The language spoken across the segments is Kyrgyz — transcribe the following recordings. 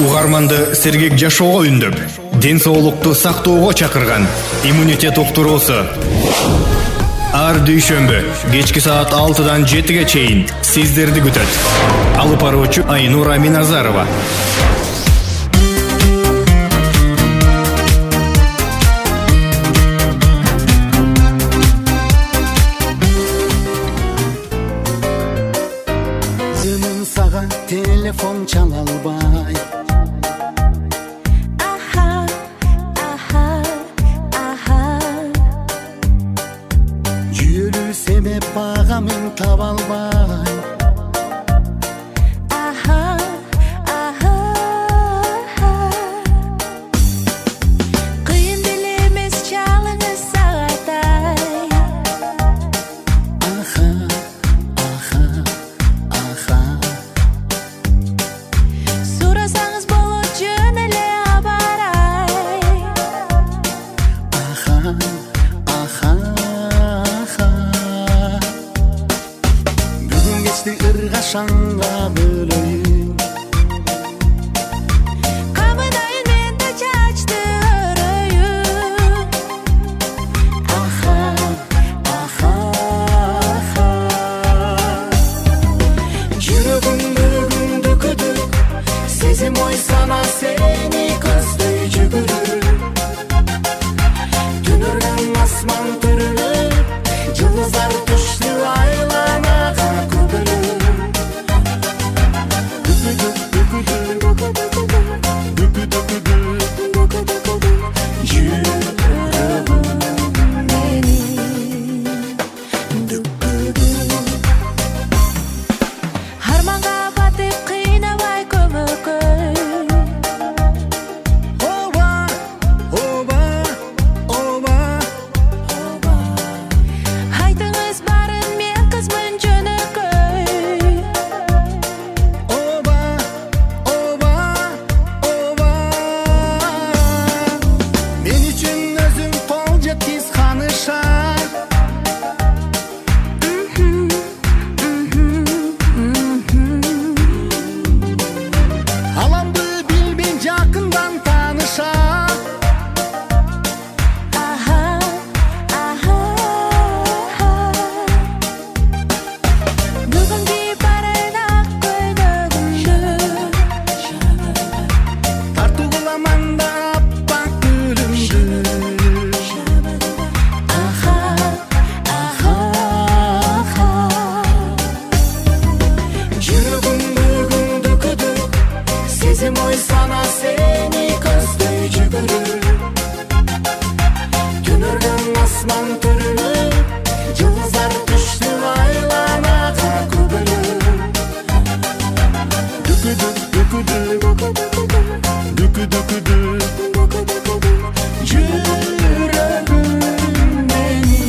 Угарманды сергек жашоого үндөп, ден соолукту сактоого чакырган иммунитет уктуруусу. Ар дүйшөмбү кечки саат 6-дан 7-ге чейин сиздерди күтөт. Алып баруучу Айнура Миназарова. Жөнүн сага телефон чала албай. Жүйөлүү себеп бага мен таба албай. Кыйын деле эмес чалыңыз сагатай. Сурасаңыз болот жөн эле абарай. Бүгүн кечти ыргашаңга бөлөйүн. Камынайын мен да чачты өрөйүн. Жүрөгүмдү күндү сезим ой сана сени көздөй жүгүрүп. Түнөргөн асман түрүлүп, жылдыздар түштү айланага көбөлүп. Арманга батып кыйнабай көмөкөй. Айтыңыз барын мен кызмын жөнөкөй. Мен үчүн өзүң кол жеткиз ханыша. Аламды билбей жакындан тааныша. Бүгүнкү барайын ак көйнөгүмдү. Тартуу кыламан да аппак гүлүмдү. Жүрөгүмдү күндү сезим ой сана сени көздөй жүгүрүп. Түнөргөн асман түрүлүп, жылдыздар түштү айланага көбөлүп. Жүрөгүм менин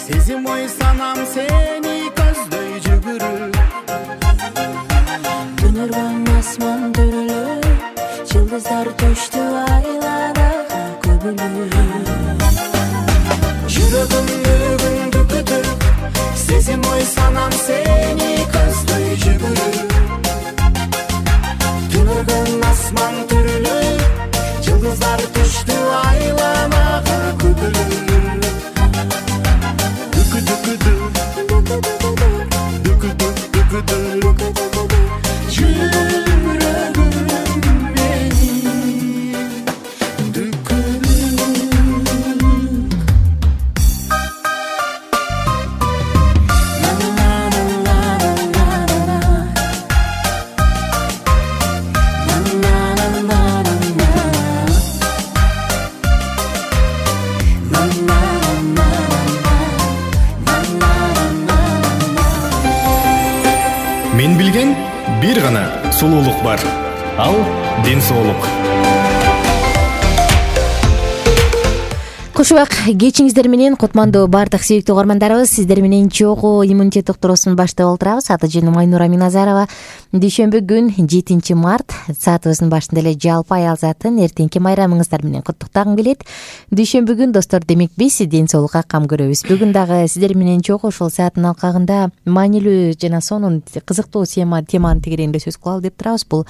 сезим ой санам сени көздөй жүгүрүп. Түнөргөн асман түрүлүп, жылдыздар төштү айланага көбөлүп. Жүрөгүмдү күндү сезим ой санам сени көздөй жүгүрүп. Түнөргөн асман түрүлүп, жылдыздар түштү айланага көбөлүп. Жүрөгүм менин Мен билген бир гана сулуулук бар. Ал ден соолук. Кош убак кечиңиздер менен кутмандуу баардык сүйүктүү угармандарыбыз, сиздер менен чогуу иммунитет доктурусун баштап отурабыз. Аты жөнүм Айнура Миназарова. Дүйшөмбү күн 7 март саатыбыздын башында эле жалпы аял затын эртеңки майрамыңыздар менен куттуктагым келет. Дүйшөмбү күн достор, демек биз ден соолукка кам көрөбүз. Бүгүн дагы сиздер менен чогуу ушул сааттын алкагында маанилүү жана сонун кызыктуу теманын тегерегинде сөз кылалы деп турабыз. Бул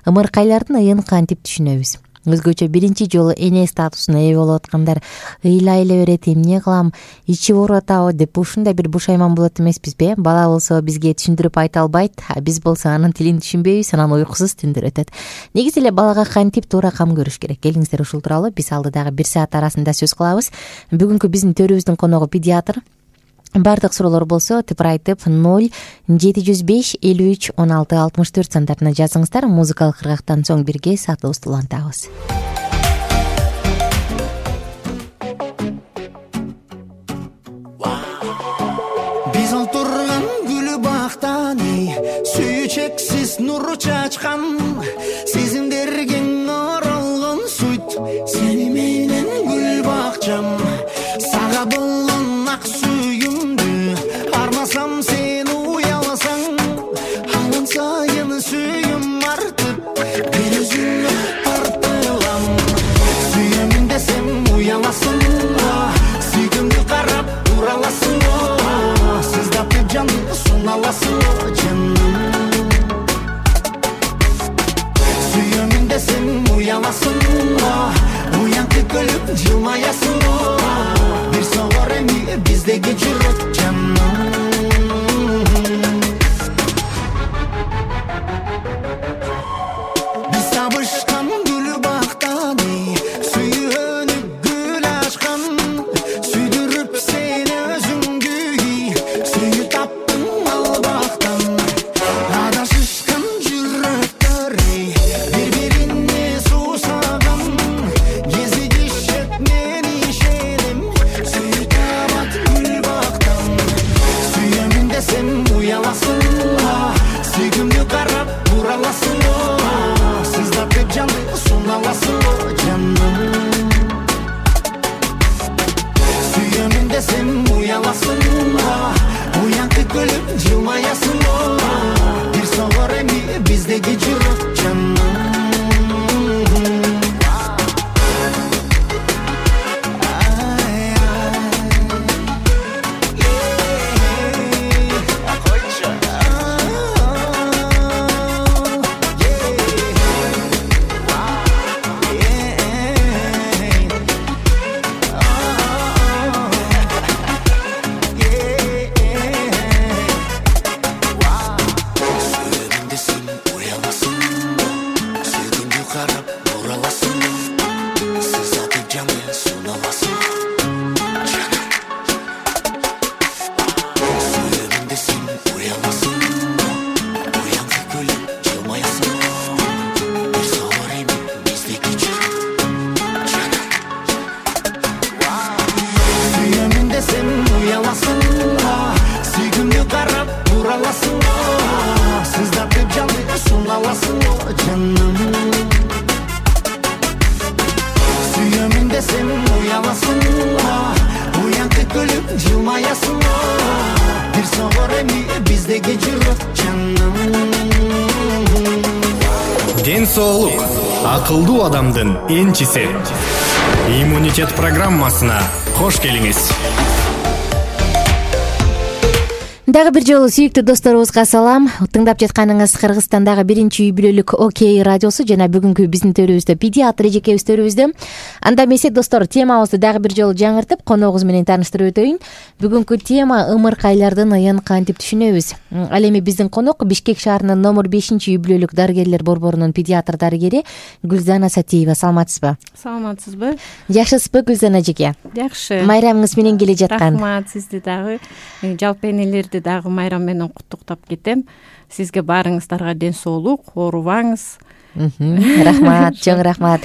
ымыркайлардын ыйын кантип түшүнөбүз? Өзгөчө биринчи жолу эне статусуна ээ болуп аткандар ыйлай эле берет, эмне кылам, ичи ооруп атабы деп ушундай бир бушайман болот эмеспизби? Бала болсо бизге түшүндүрүп айта албайт, биз болсо анын тилин түшүнбөйбүз, анан уйкусуз түндөр өтөт. Негизи эле балага кантип туура кам көрүш керек? Келиңиздер, ушул тууралуу биз алдыдагы 1 саат арасында сөз кылабыз. Бүгүнкү биздин төрүбүздүн коногу педиатр. Бардык суроолор болсо типир айтып 0705 53 16 64 сандарына жазыңыздар. Музыкалык кыргактан соң бирге саатыбызды улантабыз. Биз олтурган гүлү бактан сүйүү чексиз нуру чачкан, сезимдерге оролгон сүйт, сени менен гүл бакчам, сага болгон ак сүйүмдү армасам, сен уяласаң, анан сайын сүйүм артып, мен өзүңө тартылам. Сүйөмүн десем уяласың, сүйгүмдү карап ураласың, сыздап жанды суналасың, жаным. Сүйөмүн десем уяласың, уянкы көлүп жылмаясың, бир согор эми биздеги жүрөк, жаным. Биз табышкан гүлү бактан сүйөнүп гүл ачкан, сүйдүрүп сени өзүңдү, сүйүү таптың ал бактан. Адашышкан жүрөктөр бири-бирине суусаган, кезигишет мен ишенем, сүйүү табат гүл бактан. Сүйөмүн десем уяласың, сүйгүмдү карап ураласың, сыздап жанды суналасың, жаным. Сүйөмүн десем уяласың, уянкы көлүп жылмаясың, бир согор эми биздеги жүрөк, жаным. Ден соолук акылдуу адамдын энчиси. Иммунитет программасына кош келиңиз. Дагы бир жолу сүйүктүү досторубузга салам. Тыңдап жатканыңыз Кыргызстандагы 1-үй бүлөлүк Окей радиосу жана бүгүнкү биздин төрүбүздө педиатр эжекебиз төрүбүздө. Анда эмесе достор, темабызды дагы бир жолу жаңыртып, коногубуз менен тааныштырып өтөйүн. Бүгүнкү тема ымыркайлардын ыйын кантип түшүнөбүз. Ал эми биздин конок Бишкек шаарынын номер 5-үй бүлөлүк дарыгерлер борборунун педиатр дарыгери Гүлзана Сатиева. Саламатсызбы? Саламатсызбы? Жакшысызбы Гүлзана эжеке? Жакшы. Майрамыңыз менен келе жаткан. Рахмат, сизди дагы жалпы энелерди дагы майрам менен куттуктап кетем. Сизге баарыңыздарга ден соолук, оорубаңыз, Рахмат, чоң рахмат.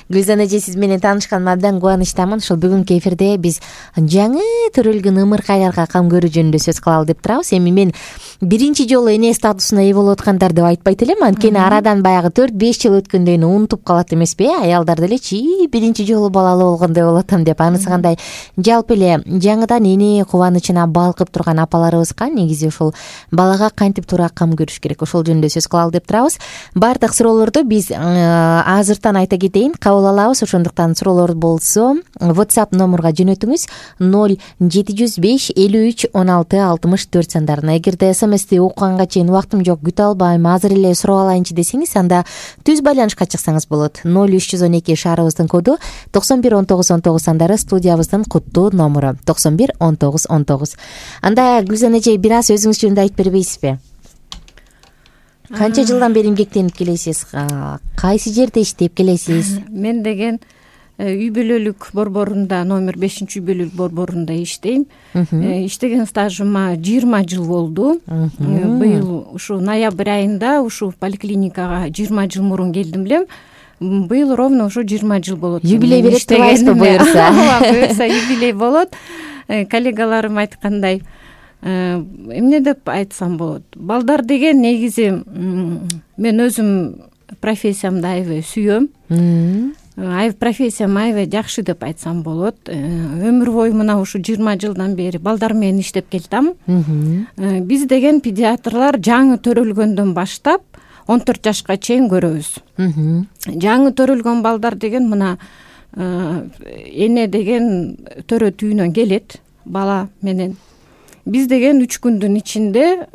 Гүлзан эже, сиз менен таанышканыма абдан кубанычтамын. Ушул бүгүнкү эфирде биз жаңы төрөлгөн ымыркайларга кам көрүү жөнүндө сөз кылалы деп турабыз. Эми мен биринчи жолу эне статусуна ээ болуп аткандар деп айтпайт элем, анткени арадан баягы 4-5 жыл өткөндөн кийин унутуп калат эмеспи? Аялдар делечи биринчи жолу балалуу болгондой болуп атам деп. Анысы кандай? Жалпы эле жаңыдан эне кубанычына балкып турган апаларыбызга негизи ушул балага кантип туура кам көрүш керек, ошол жөнүндө сөз кылалы деп турабыз. Бардык суроолорду биз азыртан айта кетейин, кабыл алабыз. Ошондуктан суроолор болсо WhatsApp номурга жөнөтүңүз 0705 53 16 64 сандарына. Эгерде СМСти окуганга чейин убактым жок, күтө албайм, азыр эле сурап алайынчы десеңиз, анда түз байланышка чыксаңыз болот. 0312 шаарыбыздын коду 91 19 19 сандары студиябыздын куттуу номуру 91 19 19. Анда Гүлзан эже, бир аз өзүңүз жөнүндө айтып бербейсизби? Канча жылдан бери эмгектенип келесиз? Кайсы жерде иштеп келесиз? Мен деген үй бүлөлүк борборунда, номер 5-үй бүлөлүк борборунда иштейм. Иштеген стажыма 20 жыл болду. Быйыл ушу ноябрь айында ушу поликлиникага 20 жыл мурун келдим элем. Быйыл ровно ушу 20 жыл болот. Юбилей берип турбайсызбы буюрса? Буюрса юбилей болот. Коллегаларым айткандай, эмне деп айтсам болот, балдар деген негизи мен өзүм профессиямды аябай сүйөм. Профессиям аябай жакшы деп айтсам болот. Өмүр бою мына ушу 20 жылдан бери балдар менен иштеп келатам. Биз деген педиатрлар жаңы төрөлгөндөн баштап 14 жашка чейин көрөбүз. Жаңы төрөлгөн балдар деген мына эне деген төрөт үйүнөн келет бала менен. Биз деген 3 күндүн ичинде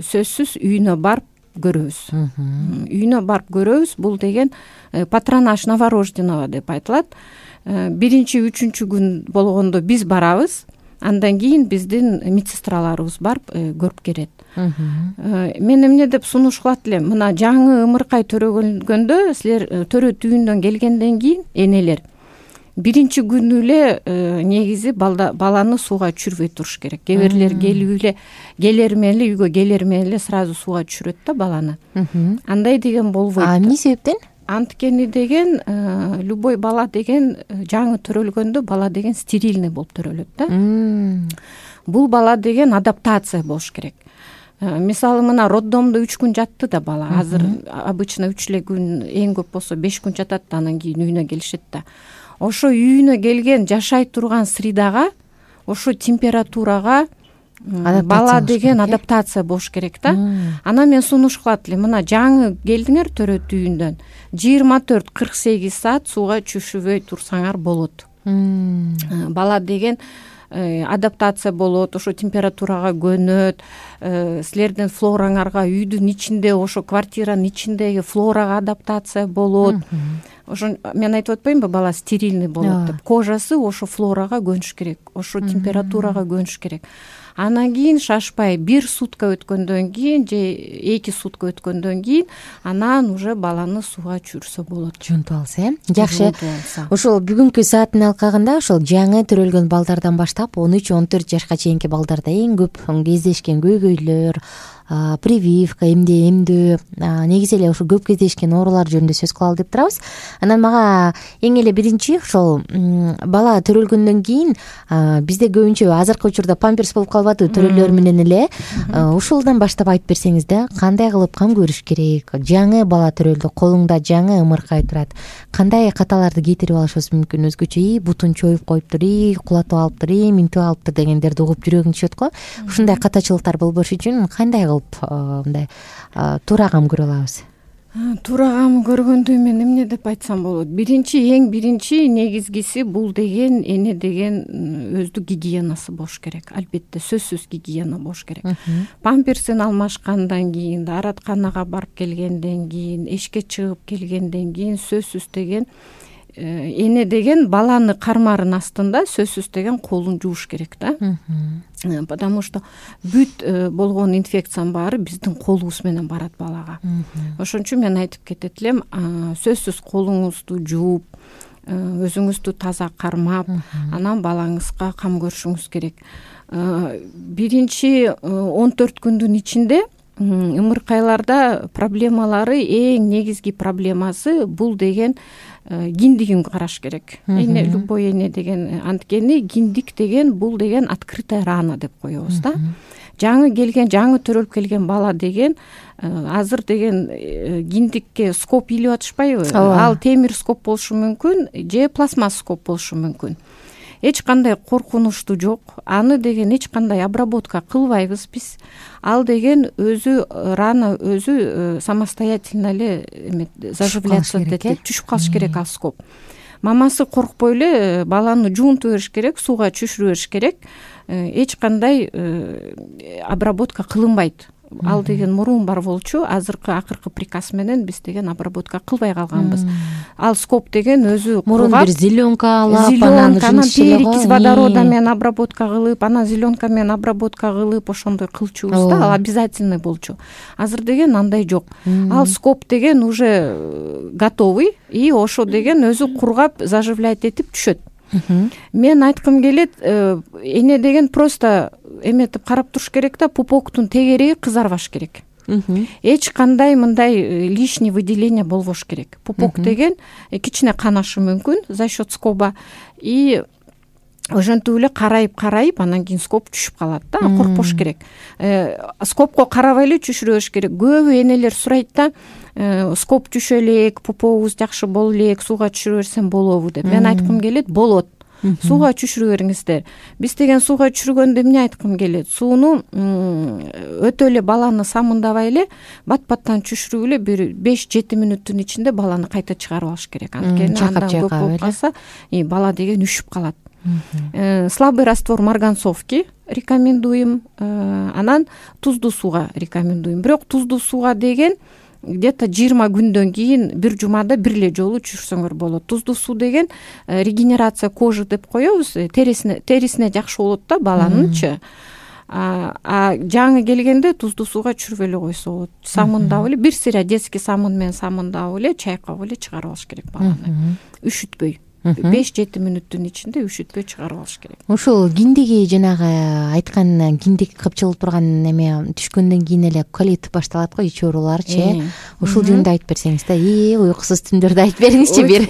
сөзсүз үйүнө барып көрөбүз. Үйүнө барып көрөбүз. Бул деген патронаж новорожденного деп айтылат. Биринчи, үчүнчү күн болгондо биз барабыз. Андан кийин биздин медсестраларыбыз барып көрүп келет. Мен эмне деп сунуш кылат элем, мына жаңы ымыркай төрөгөнгөндө силер төрөт үйүндөн келгенден кийин энелер биринчи күнү эле негизи баланы сууга түшүрбөй туруш керек. Кээ бирлер келер менен эле үйгө келер менен эле сразу сууга түшүрөт да баланы. Андай деген болбойт. Эмне себептен? Анткени деген любой бала деген жаңы төрөлгөндө бала деген стерильный болуп төрөлөт да. Бул бала деген адаптация болуш керек. Мисалы мына роддомдо 3 күн жатты да бала. Азыр обычно 3 эле күн, эң көп болсо 5 күн жатат, анан кийин үйүнө келишет да. Ошо үйүнө келген жашай турган средага, ошо температурага бала деген адаптация болуш керек да. Анан мен сунуш кылат элем, мына жаңы келдиңер төрөт үйүндөн 24-48 саат сууга түшүрбөй турсаңар болот. Бала деген адаптация болот, ошо температурага көнөт, силердин флораңарга үйдүн ичинде, ошо квартиранын ичиндеги флорага адаптация болот. Ошо мен айтып атпаймынбы, бала стерильный болот деп. Кожасы ошо флорага көнүш керек, ошо температурага көнүш керек. Анан кийин шашпай 1 сутка өткөндөн кийин же 2 сутка өткөндөн кийин анан уже баланы сууга түшүрсө болот. Жунтуп алса, Жакшы. Ошол бүгүнкү сааттын алкагында ошол жаңы төрөлгөн балдардан баштап 13-14 жашка чейинки балдарда эң көп кездешкен көйгөйлөр, прививка, эмдөө, негизи эле ошо көп кездешкен оорулар жөнүндө сөз кылалы деп турабыз. Анан мага эң эле биринчи ошол бала төрөлгөндөн кийин бизде көбүнчө азыркы учурда памперс болуп калбады төрөлөр менен эле. Ушулдан баштап айтып берсеңиз да, кандай кылып кам көрүш керек? Жаңы бала төрөлдү, колуңда жаңы ымыркай турат. Кандай каталарды кетирип алышыбыз мүмкүн? Өзгөчө бутун чоюп коюптур, кулатып алыптыр, минтип алыптыр дегендерди угуп жүрөгүң түшөт го. Ушундай катачылыктар болбош үчүн кандай мындай туура кам көрө алабыз? Туура кам көргөндө мен эмне деп айтсам болот? Эң биринчи негизгиси бул деген эне деген өздүк гигиенасы болуш керек. Албетте сөзсүз гигиена болуш керек. Памперсин алмашкандан кийин, дааратканага барып келгенден кийин, эшикке чыгып келгенден кийин сөзсүз деген эне деген баланы кармарынын астында сөзсүз деген колун жууш керек да. Потому что бүт болгон инфекциянын баары биздин колубуз менен барат балага. Ошон үчүн мен айтып кетет элем, сөзсүз колуңузду жууп, өзүңүздү таза кармап, анан балаңызга кам көрүшүңүз керек. Биринчи 14 күндүн ичинде ымыркайларда проблемалары эң негизги проблемасы бул деген киндигин караш керек. Эне любой эне деген анткени киндик деген бул деген открытая рана деп коебуз да. Жаңы төрөлүп келген бала деген азыр деген киндикке скоп илип атышпайбы? Ал темир скоп болушу мүмкүн же пластмасс скоп болушу мүмкүн. Эч кандай коркунучтуу жок. Аны деген эч кандай обработка кылбайбыз биз. Ал деген өзү рана өзү самостоятельно эле заживляться этет, түшүп калыш керек ал скоп. Мамасы коркпой эле баланы жуунтуп бериш керек, сууга чүшүрүп бериш керек. Эч кандай обработка кылынбайт. Ал деген мурун бар болчу, акыркы приказ менен биз деген обработка кылбай калганбыз. Ал скоп деген өзү мурун бир зеленка алып, анан перекись водорода менен обработка кылып, анан зеленка менен обработка кылып, ошондой кылчубуз да, ал обязательный болчу. Азыр деген андай жок. Ал скоп деген уже готовый, и ошо деген өзү кургап заживлять этип түшөт. Мен айткым келет, эне деген просто эметип карап туруш керек да, пупоктун тегереги кызарбаш керек. Эч кандай мындай лишний выделение болбош керек. Пупок деген кичине канашы мүмкүн за счет скоба, и ошентип эле карайып анан кийин скоп түшүп калат да, коркпош керек. Скопко карабай эле түшүрө бериш керек. Көбү энелер сурайт да, скоп түшө элек, пупогубуз жакшы боло элек, сууга түшүрө берсем болобу деп. Мен айткым келет, болот. Сууга түшүрө бериңиздер. Биз деген сууга түшүргөндө эмне айткым келет? Сууну өтө эле баланы самындабай эле бат-баттан түшүрүп эле бир 5-7 мүнөттүн ичинде баланы кайта чыгарып алыш керек. Анткени андан көп болуп калса, бала деген үшүп калат. Слабый раствор марганцовки рекомендуем, анан туздуу сууга рекомендуем. Бирок туздуу сууга деген где-то 20 күндөн кийин бир жумада бир эле жолу түшүрсөңөр болот. Туздуу суу деген регенерация кожи деп коебуз, терисине жакшы болот да баланынчы. Жаңы келгенде туздуу сууга түшүрүп эле койсо болот. Самындап эле, бир сыйра детский самын менен самындап эле, чайкап эле чыгарып алыш керек баланы. Үшүтпөй. 5-7 мүнөттүн ичинде үшүтпөй чыгарып алыш керек. Ушул киндиги жанагы айткан киндик кыпчылып турган эме түшкөндөн кийин эле колит башталат го, ич ооруларчы. Ушул жөнүндө айтып берсеңиз да, уйкусуз түндөрдү айтып бериңизчи бир.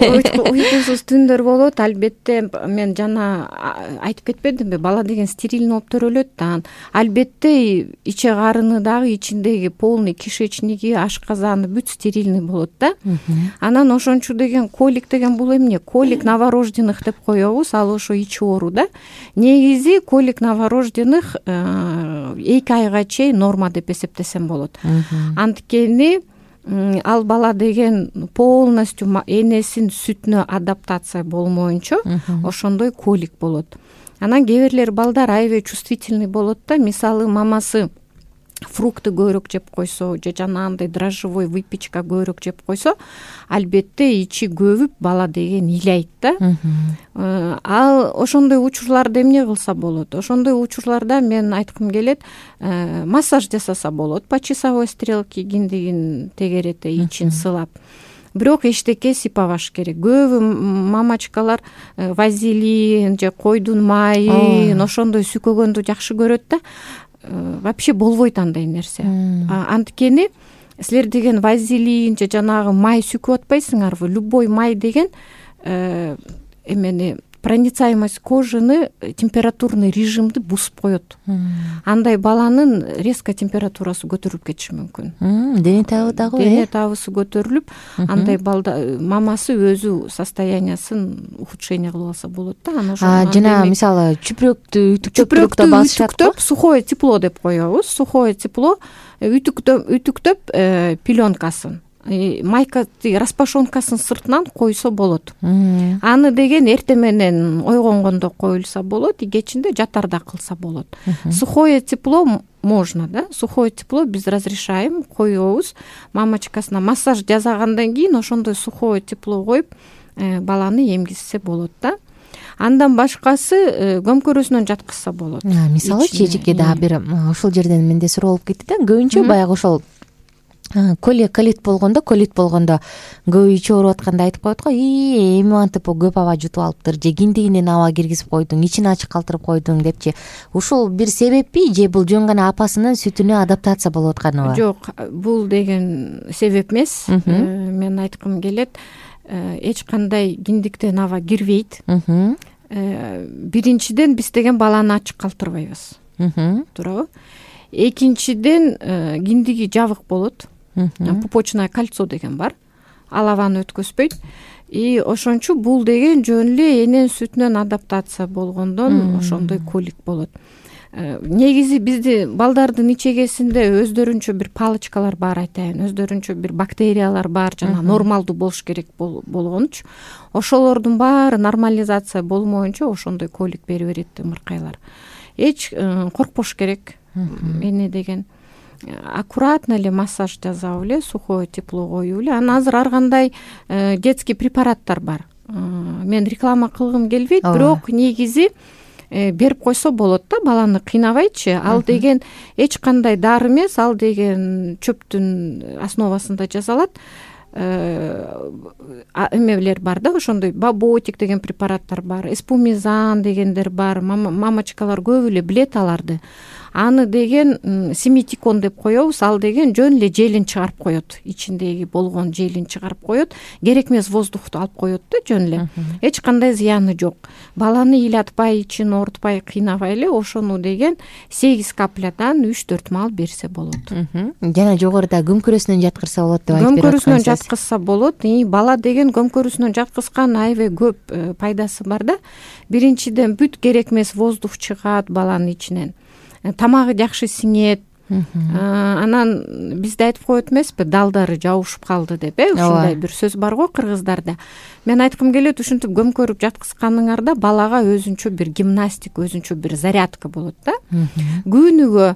Уйкусуз түндөр болот, албетте. Мен жана айтып кетпедимби, бала деген стерильный болуп төрөлөт да. Албетте иче карыны дагы, ичиндеги полный кишечниги, ашказаны бүт стерильный болот да. Анан ошончу деген колик деген бул эмне? Колик новорожденных деп коебуз, ал ошо ич оору да. Негизи колик новорожденных 2 айга чейин норма деп эсептесем болот. Анткени ал бала деген полностью энесинин сүтүнө адаптация болмоюнча ошондой колик болот. Анан кээ бирлер балдар аябай чувствительный болот да. Мисалы мамасы фрукты көбүрөөк жеп койсо же жанагындай дрожжевой выпечка көбүрөөк жеп койсо, албетте ичи көбүп бала деген ыйлайт да. Ал ошондой учурларда эмне кылса болот? Ошондой учурларда мен айткым келет, массаж жасаса болот, по часовой стрелке киндигин тегерете, ичин сылап. Бирок эчтеке сыйпабаш керек. Көбү мамачкалар вазелин же койдун майын ошондой сүйкөгөндү жакшы көрөт да. Вообще болбойт андай нерсе. Анткени силер деген вазелин же жанагы май сүйкөп атпайсыңарбы? Любой май деген эмени проницаемость кожаны, температурный режимди бузуп коет. Андай баланын резко температурасы көтөрүлүп кетиши мүмкүн. Дене табы дагы, дене табысы көтөрүлүп, андай балда мамасы өзү состояниясын ухудшение кылып алса болот да. Жана мисалы чүпүрөктү үтүктөп, сухое тепло деп коебуз. Сухое тепло үтүктөп пеленкасын, майка распашонкасын сыртынан койсо болот. Аны деген эртең менен ойгонгондо коюлса болот, и кечинде жатарда кылса болот. Сухое тепло можно, да? Сухое тепло биз разрешаем, коебуз. Мамачкасына массаж жасагандан кийин ошондой сухое тепло коюп баланы эмгизсе болот да. Андан башкасы көмкөрөсүнөн жаткызса болот. Мисалы чечекке дагы бир ушул жерден менде суроо болуп кетти да. Көбүнчө баягы ошол колит болгондо көбү ичип ооруп атканда айтып коет го, эми антип көп аба жутуп алыптыр, же киндигинен аба киргизип койдуң, ичин ачык калтырып койдуң депчи. Ушул бир себеппи же бул жөн гана апасынын сүтүнө адаптация болуп атканыбы? Жок, бул деген себеп эмес. Мен айткым келет, эч кандай киндиктен аба кирбейт. Биринчиден биз деген баланы ачык калтырбайбыз, туурабы? Экинчиден киндиги жабык болот. Пупочное кольцо деген бар, ал абаны өткөзбөйт. И ошончу бул деген жөн эле эненин сүтүнөн адаптация болгондон ошондой колик болот. Негизи бизди балдардын ичегесинде өздөрүнчө бир палочкалар бар, айтайын, өздөрүнчө бир бактериялар бар, жана нормалдуу болуш керек болгонучу. Ошолордун баары нормализация болмоюнча ошондой колик бере берет ымыркайлар. Эч коркпош керек. Эне деген аккуратно эле массаж жасап эле, сухое тепло коюп эле. Анан азыр ар кандай детский препараттар бар. Мен реклама кылгым келбейт, бирок негизи берип койсо болот да, баланы кыйнабайчы. Ал деген эч кандай дары эмес, ал деген чөптүн основасында жасалат. Эмелер бар да, ошондой баботик деген препараттар бар, эспумизан дегендер бар. Мамочкалар көбү эле билет аларды. Аны деген семитикон деп коебуз. Ал деген жөн эле желин чыгарып коет, ичиндеги болгон желин чыгарып коет, керек эмес воздухту алып коет да, жөн эле. Эч кандай зыяны жок. Баланы ыйлатпай, ичин оорутпай, кыйнабай эле ошону деген 8 каплядан 3-4 маал берсе болот. Жана жогоруда көмкөрүсүнөн жаткырса болот деп айтып берип Көмкөрүсүнөн жаткызса болот. Бала деген көмкөрүсүнөн жаткызган аябай көп пайдасы бар да. Биринчиден бүт керек эмес воздух чыгат баланын ичинен. Тамагы жакшы сиңет. Анан бизде айтып коет эмеспи, далдары жабышып калды деп, ушундай бир сөз бар го кыргыздарда. Мен айткым келет, ушинтип көмкөрүп жаткызганыңарда балага өзүнчө бир гимнастика, өзүнчө бир зарядка болот да. Күнүгө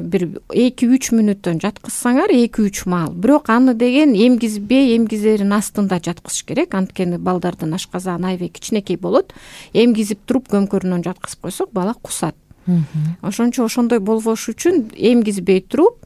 бир 2-3 мүнөттөн жаткызсаңар 2-3 маал. Бирок аны деген эмгизбей, эмгизерин астында жаткызыш керек. Анткени балдардын ашказаны аябай кичинекей болот. Эмгизип туруп көмкөрүнөн жаткызып койсок, бала кусат. Ошончо ошондой болбош үчүн эмгизбей туруп,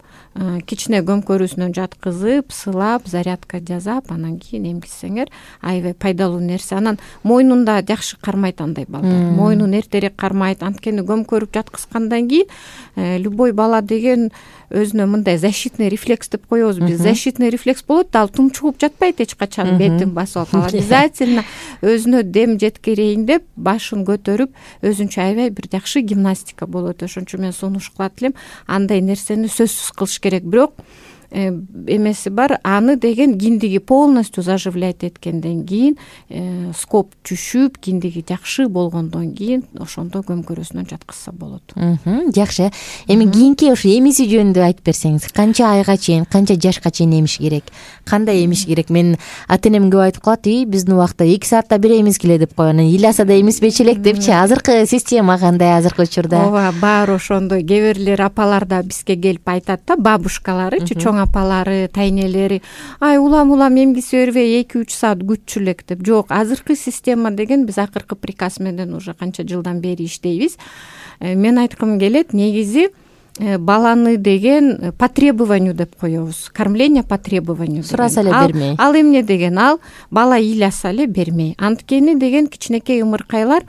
кичине көмкөрүсүнөн жаткызып, сылап, зарядка жасап, анан кийин эмгизсеңер аябай пайдалуу нерсе. Анан мойнунда жакшы кармайт андай балдар. Мойнун эртерээк кармайт. Анткени көмкөрүп жаткызгандан кийин любой бала деген өзүнө мындай защитный рефлекс деп коебуз биз. Защитный рефлекс болот да, ал тумчугуп жатпайт эч качан, бетин басып алып. Обязательно өзүнө дем жеткирейин деп башын көтөрүп, өзүнчө аябай бир жакшы гимнастика болот. Ошончо мен сунуш кылат элем, андай нерсени сөзсүз кылыш керек. Бирок эмеси бар, аны деген киндиги полностью заживлять эткенден кийин, скоп түшүп, киндиги жакшы болгондон кийин ошондо көмкөрүсүнөн жаткызса болот. Жакшы. Эми кийинки ушу эмиси жөнүндө айтып берсеңиз, канча айга чейин, канча жашка чейин эмиш керек? Кандай эмиш керек? Мен ата-энем көп айтып калат, биздин убакта 2 саатта бир эмис келе деп койгон. Ыйласа да эмиспечи элек депчи. Азыркы система кандай азыркы учурда? Ооба, баары ошондой. Кээ бирлер апалар да бизге келип айтат да, бабушкалары, чоң апалары, тайнелери, улам эмгисе бербей 2-3 саат күтчү элек деп. Жок, азыркы система деген биз акыркы приказ менен уже канча жылдан бери иштейбиз. Мен айткым келет, негизи баланы деген по требованию деп коебуз. Кормление по требованию. Сураса эле бермей. Ал эмне деген? Ал бала ыйласа эле бермей. Анткени деген кичинекей ымыркайлар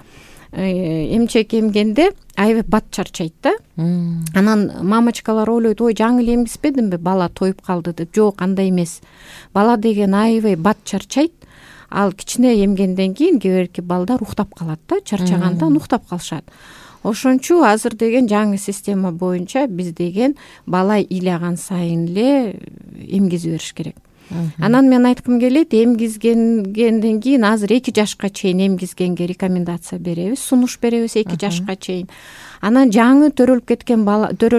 эмчек эмгенде аябай бат чарчайт да. Анан мамочкалар ойлойт, жаңы эле эмгизбедимби, бала тоюп калды деп. Жок, андай эмес. Бала деген аябай бат чарчайт. Ал кичине эмгенден кийин кээ бирки балдар уктап калат да, чарчагандан уктап калышат. Ошончу азыр деген жаңы система боюнча биз деген бала ыйлаган сайын эле эмгизе бериш керек. Анан мен айткым келет, эмгизгенден кийин азыр 2 жашка чейин эмгизгенге рекомендация беребиз, сунуш беребиз 2 жашка чейин. Анан жаңы төрөлүп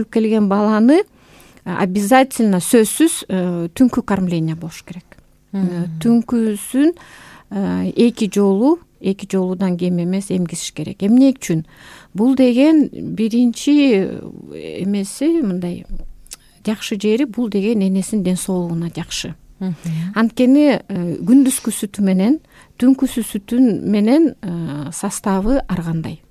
келген баланы обязательно сөзсүз түнкү кормление болуш керек. Түнкүсүн 2 жолудан кем эмес эмгизиш керек. Эмне үчүн? Бул деген биринчи эмеси мындай жакшы жери, бул деген энесинин ден соолугуна жакшы. Анткени күндүзгү сүтү менен түнкүсү сүтүн менен составы ар кандай.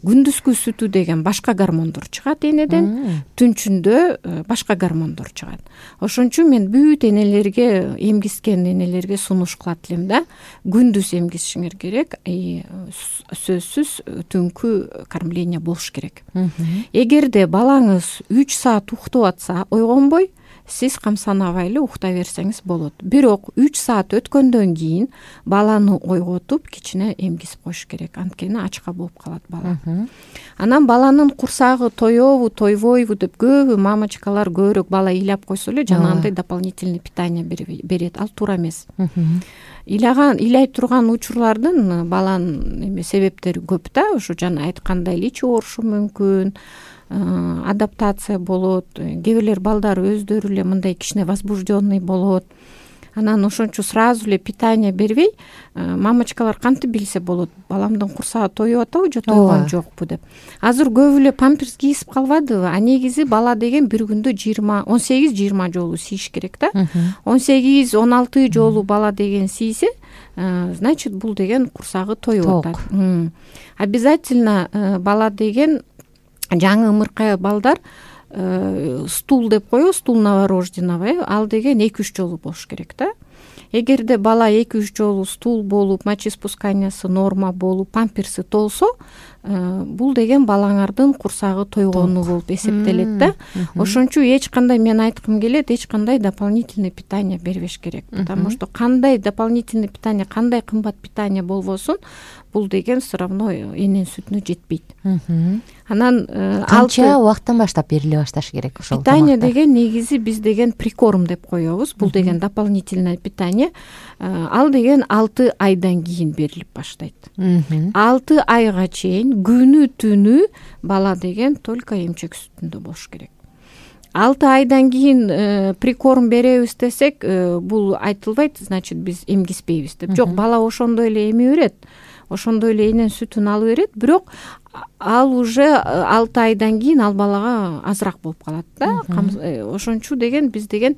күндүзгү сүтү деген башка гормондор чыгат энеден, түнчүндө башка гормондор чыгат. Ошон үчүн мен бүт энелерге, эмгискен энелерге сунуш кылат элем да, күндүз эмгисишиңер керек, сөзсүз түнкү кормление болуш керек. Эгерде балаңыз 3 саат уктап атса, ойгонбой сиз камсанабай эле укта берсеңиз болот. Бирок 3 саат өткөндөн кийин баланы ойготуп кичине эмгисип коюш керек, анткени ачка болуп калат бала. Анан баланын курсагы тоёбу, тойбойбу деп көбү мамочкалар көбүрөөк бала ыйлап койсо эле жанагындай дополнительный питание берет. Ал туура эмес. Ыйлай турган учурлардын баланын себептери көп да, ошо жана айткандай эле ичи оорушу мүмкүн, адаптация болот, кээ бирлер балдар өздөрү эле мындай кичине возбужденный болот. Анан ошончо сразу эле питание бербей, мамочкалар кантип билсе болот, баламдын курсагы тоюп атабы же тойгон жокпу деп. Азыр көбү эле памперс кийип калбадыбы, а негизи бала деген бир күндө 18-20 жолу сийиш керек да. 18-16 жолу бала деген сийсе, значит бул деген курсагы тоюп атат. Обязательно бала деген жаңы ымыркай балдар стул деп коебуз, стул новорожденного, ал деген 2-3 жолу болуш керек да. Эгерде бала 2-3 жолу стул болуп, мочеиспусканиясы норма болуп, памперси толсо, бул деген балаңардын курсагы тойгону болуп эсептелет да. Ошон үчүн эч кандай, мен айткым келет, эч кандай дополнительный питание бербеш керек. Потому что кандай дополнительный питание, кандай кымбат питание болбосун, бул деген все равно эненин сүтүнө жетпейт. Анан канча убакыттан баштап бериле башташ керек ошол питание деген негизи биз деген прикорм деп коебуз. Бул деген дополнительное питание. Ал деген 6 айдан кийин берилип баштайт. 6 айга чейин күнү түнү бала деген только эмчек сүтүндө болуш керек. 6 айдан кийин прикорм беребиз десек, бул айтылбайт, значит биз эмгиспейбиз деп. Жок, бала ошондой эле эме берет, ошондой эле эненин сүтүн алып берет, бирок ал уже 6 айдан кийин ал балага азыраак болуп калат да. Ошон үчүн деген биз деген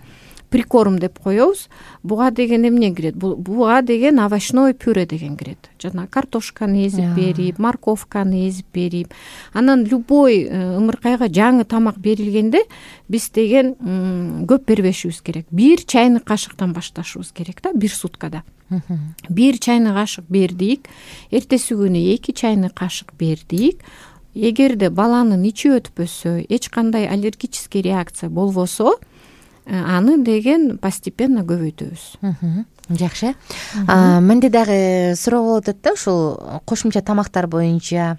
прикорм деп коебуз. Буга деген эмне кирет? Буга деген овощной пюре деген кирет. Жана картошканы эзип берип, морковканы эзип берип, анан любой ымыркайга жаңы тамак берилгенде биз деген көп бербешибиз керек. 1 чайный кашыктан башташыбыз керек да, 1 суткада. 1 чайный кашык бердик, эртеси күнү 2 чайный кашык бердик. Эгерде баланын ичи өтпөсө, эч кандай аллергический реакция болбосо, аны деген постепенно көбөйтөбүз. Жакшы. Менде дагы суроо болуп атат да, ушул кошумча тамактар боюнча.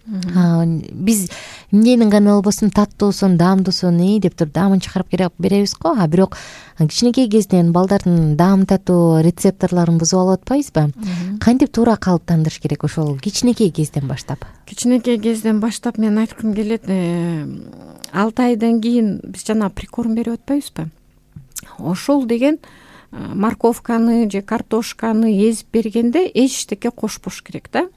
Биз эмненин гана болбосун, таттуусун, даамдуусун деп туруп даамын чыгарып беребиз го, а бирок кичинекей кезинен балдардын даам татуу рецепторлорун бузуп алып атпайбызбы? Кантип туура калыптандырыш керек ошол кичинекей кезден баштап? Кичинекей кезден баштап мен айткым келет, 6 айдан кийин биз жана прикорм берип атпайбызбы? Ошол деген морковканы же картошканы эзип бергенде эчтеке кошпош керек да.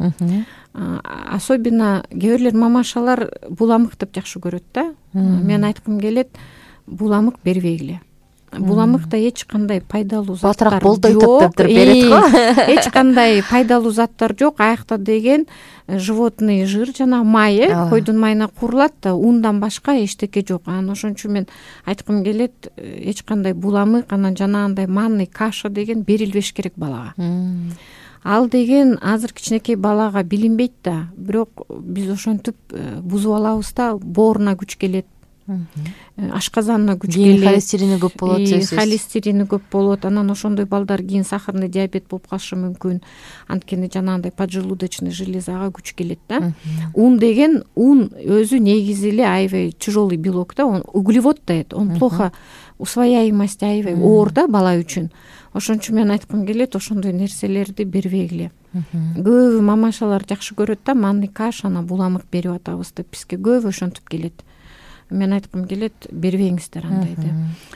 Особенно кээ бирлер мамашалар буламык деп жакшы көрөт да. Мен айткым келет, буламык бербегиле. Буламыкта эч кандай пайдалуу заттар жок. Болтой таптап туруп берет го. Эч кандай пайдалуу заттар жок. Аякта деген животный жир жана май, койдун майына курулат да, ундан башка эчтеке жок. Анан ошон үчүн мен айткым келет, эч кандай буламык, анан жанагындай манный каша деген берилбеш керек балага. Ал деген азыр кичинекей балага билинбейт да, бирок биз ошентип бузуп алабыз да, бооруна күч келет. Ашказанына күч келет, холестерини көп болот, сөзсүз. Холестерини көп болот. Анан ошондой балдар кийин сахарный диабет болуп калышы мүмкүн. Анткени жанагындай поджелудочный железага күч келет да. Ун деген, ун өзү негизи эле аябай тяжелый белок да, он углевод дает, он плохо усвояемость аябай оор да бала үчүн. Ошон үчүн мен айткым келет, ошондой нерселерди бербегиле. Көбү мамашалар жакшы көрөт да, манный кашаны буламык берип атабыз деп, бизге көбү ошентип келет. Мен айткым келет, бербеңиздер андайды.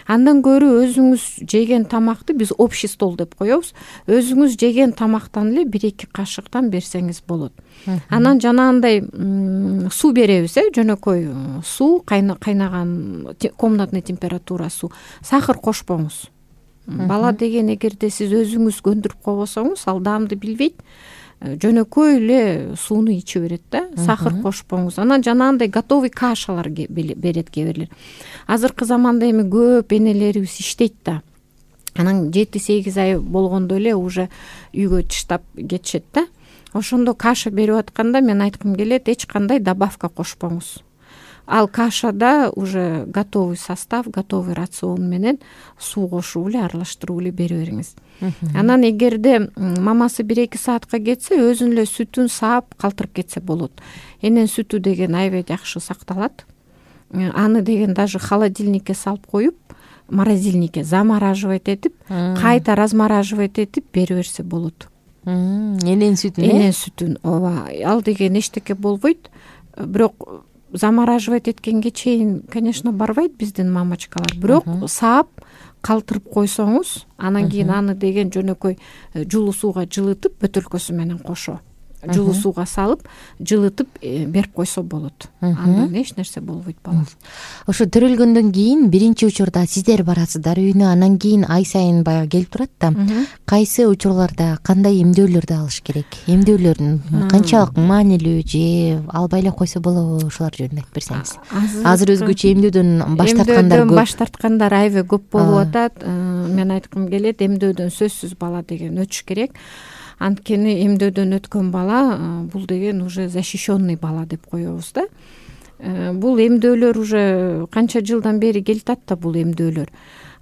Андан көрө өзүңүз жеген тамакты биз общий стол деп коебуз. Өзүңүз жеген тамактан эле 1-2 кашыктан берсеңиз болот. Анан жанагындай суу беребиз, жөнөкөй суу, кайнаган комнатный температура суу. Сахар кошпоңуз. Бала деген эгерде сиз өзүңүз көндүрүп койбосоңуз, ал даамды билбейт. жөнөкөй эле сууну иче берет да, сахар кошпоңуз. Анан жанагындай готовый кашалар берет кээ бирлер. Азыркы заманда эми көп энелерибиз иштейт да. Анан 7-8 ай болгондо эле уже үйгө таштап кетишет да. Ошондо каша берип атканда мен айткым келет, эч кандай добавка кошпоңуз. Ал кашада уже готовый состав, готовый рацион менен суу кошуп эле, аралаштырып эле бере бериңиз. Анан эгерде мамасы 1-2 саатка кетсе, өзүнүн эле сүтүн саап калтырып кетсе болот. Энен сүтү деген аябай жакшы сакталат. Аны деген даже холодильникке салып коюп, морозильникке замораживать этип, кайта размораживать этип бере берсе болот. Энен сүтүн? Энен сүтүн, ооба. Ал деген эчтеке болбойт. Бирок замораживать эткенге чейин, конечно, барбайт биздин мамачкалар. Бирок саап калтырып койсоңуз, анан кийин аны деген жөнөкөй жылуу сууга жылытып, бөтөлкөсү менен кошо жылуу сууга салып, жылытып берип койсо болот. Андан эч нерсе болбойт бала. Ошо төрөлгөндөн кийин биринчи учурда сиздер барасыздар үйүнө, анан кийин ай сайын баягы келип турат да. Кайсы учурларда кандай эмдөөлөрдү алыш керек? Эмдөөлөрдүн канчалык маанилүү же албай эле койсо болобу? Ушулар жөнүндө айтып берсеңиз. Азыр өзгөчө эмдөөдөн баш тарткандар көп. Баш тарткандар аябай көп болуп атат. Мен айткым келет, эмдөөдөн сөзсүз бала деген өтүш керек. Анткени эмдөөдөн өткөн бала бул деген уже защищенный бала деп коебуз да. Бул эмдөөлөр уже канча жылдан бери келатат да бул эмдөөлөр.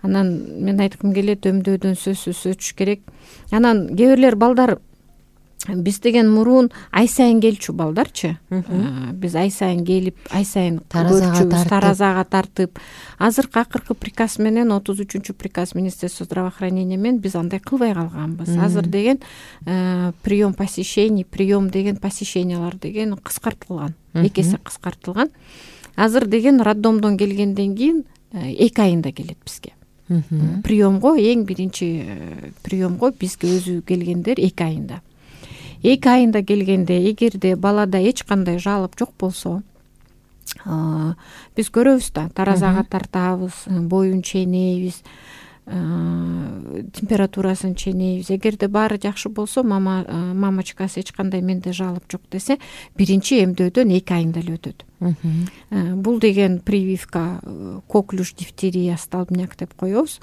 Анан мен айткым келет, эмдөөдөн сөзсүз өтүш керек. Анан кээ бирлер балдар биз деген мурун ай сайын келчү балдарчы. Биз ай сайын келип, ай сайын көрчүбүз, таразага тартып. Азыркы акыркы приказ менен, 33-чү приказ Министерства здравоохранения менен биз андай кылбай калганбыз. Азыр деген прием посещений, прием деген посещениялар деген кыскартылган. 2 эсе кыскартылган. Азыр деген роддомдон келгенден кийин 2 айында келет бизге. Приемго, эң биринчи приемго бизге өзү келгендер 2 айында. 2 айында келгенде, эгерде балада эч кандай жалоп жок болсо, биз көрөбүз да, таразага тартабыз, боюн чейнейбиз, температурасын чейнейбиз. Эгерде баары жакшы болсо, мамачкасы эч кандай менде жалоп жок десе, биринчи эмдөөдөн 2 айында эле өтөт. Бул деген прививка коклюш, дифтерия, столбняк деп коебуз.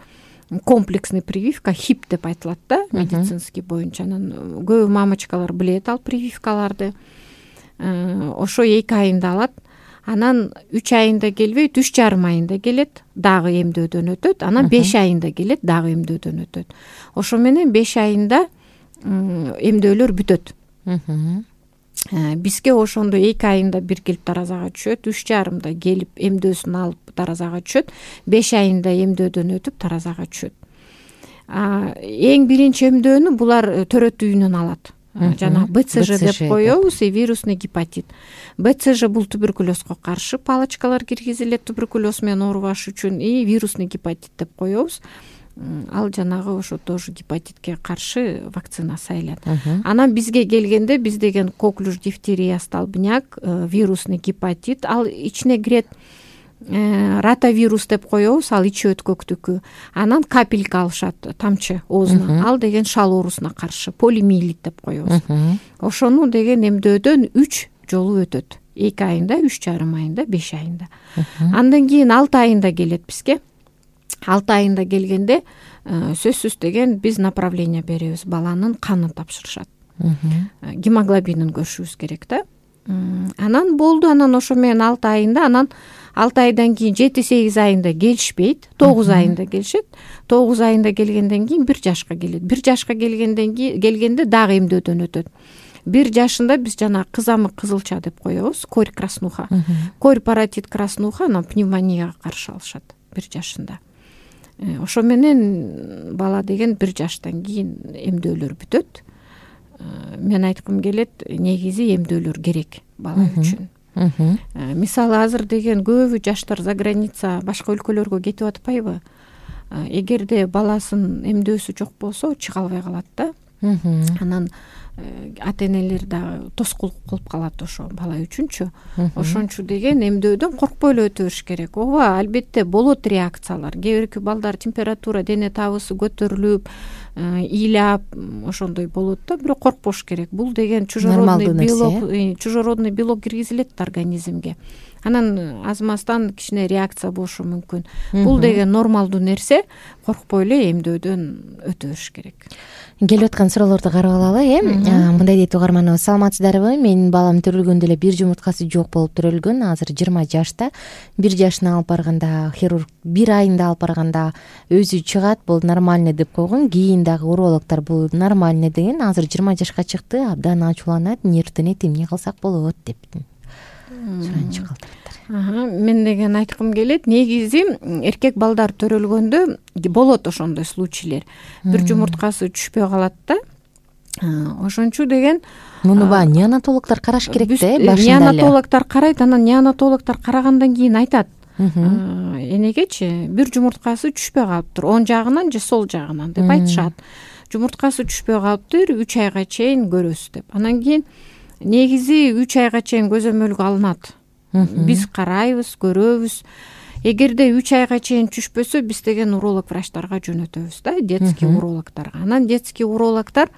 Комплексный прививка, ХИП деп айтылат да, медицинский боюнча. Анан көп мамачкалар билет ал прививкаларды. Ошо 2 айында алат. Анан 3 айында келбейт, 3,5 айында келет, дагы эмдөөдөн өтөт. Анан 5 айында келет, дагы эмдөөдөн өтөт. Ошо менен 5 айында эмдөөлөр бүтөт. Бизге ошондо 2 айында бир келип таразага түшөт, 3,5 келип эмдөөсүн алып таразага түшөт, 5 айында эмдөөдөн өтүп таразага түшөт. Эң биринчи эмдөөнү булар төрөт үйүнөн алат. Жана БЦЖ деп коебуз, вирусный гепатит. БЦЖ бул туберкулезго каршы палочкалар киргизилет туберкулез менен оорубаш үчүн, и вирусный гепатит деп коебуз. Ал жанагы ошо тоже гепатитке каршы вакцина сайылат. Анан бизге келгенде биз деген коклюш, дифтерия, столбняк, вирусный гепатит, ал ичине кирет ротавирус деп коебуз, ал ичи өткөктүкү. Анан капелька алышат, тамчы оозуна. Ал деген шал оорусуна каршы, полимиелит деп коебуз. Ошону деген эмдөөдөн 3 жолу өтөт. 2 айында, 3,5 айында, 5 айында. Андан кийин 6 айында келет бизге. 6 айында келгенде сөзсүз деген биз направление беребиз, баланын канын тапшырышат. Гемоглобинин көрүшүбүз керек да. Анан болду, анан ошо менен 6 айында, анан 6 айдан кийин 7-8 айында келишпейт, 9 айында келишет. 9 айында келгенден кийин 1 жашка келет. 1 жашка келгенде дагы эмдөөдөн өтөт. 1 жашында биз жана кызамык кызылча деп коебуз, корь краснуха. Корь паротит краснуха, анан пневмонияга каршы алышат 1 жашында. Ошо менен бала деген 1 жаштан кийин эмдөөлөр бүтөт. Мен айткым келет, негизи эмдөөлөр керек бала үчүн. Мисалы азыр деген көбү жаштар за граница, башка өлкөлөргө кетип атпайбы? Эгерде баласын эмдөөсү жок болсо, чыга албай калат да. Анан ата энелер дагы тоскоолдук кылып калат ошо бала үчүнчү. Ошончу деген эмдөөдөн коркпой эле өтө бериш керек. Ооба, албетте болот реакциялар. Кээ бирки балдар температура, дене табысы көтөрүлүп, ыйлап ошондой болот да, бирок коркпош керек. Бул деген чужеродный белок киргизилет организмге. Анан азмастан кичине реакция болушу мүмкүн. Бул деген нормалдуу нерсе, коркпой эле эмдөөдөн өтө бериш керек. Келип аткан суроолорду карап алалы. Мындай дейт угарманыбыз: саламатсыздарбы? Менин балам төрөлгөндө эле бир жумурткасы жок болуп төрөлгөн. Азыр 20 жашта. 1 жашына алып барганда хирург 1 айында алып барганда өзү чыгат, бул нормальный деп койгон. Кийин дагы урологдор бул нормальный деген. Азыр 20 жашка чыкты, абдан ачууланат, нервденет, эмне кылсак болот деп суранчы калтыраттар. Мен деген айткым келет, негизи эркек балдар төрөлгөндө болот ошондой случайлар. Бир жумурткасы түшпөй калат да. Ошончу деген муну неонатологдор караш керек да, башында эле. Неонатологдор карайт, анан неонатологдор карагандан кийин айтат: энегечи бир жумурткасы түшпөй калыптыр, оң жагынан же сол жагынан деп айтышат. Жумурткасы түшпөй калыптыр, 3 айга чейин көрөсүз деп. Анан кийин негизи 3 айга чейин көзөмөлгө алынат. Биз карайбыз, көрөбүз. Эгерде 3 айга чейин түшпөсө, биз деген уролог врачтарга жөнөтөбүз да, детский урологторго. Анан детский урологтор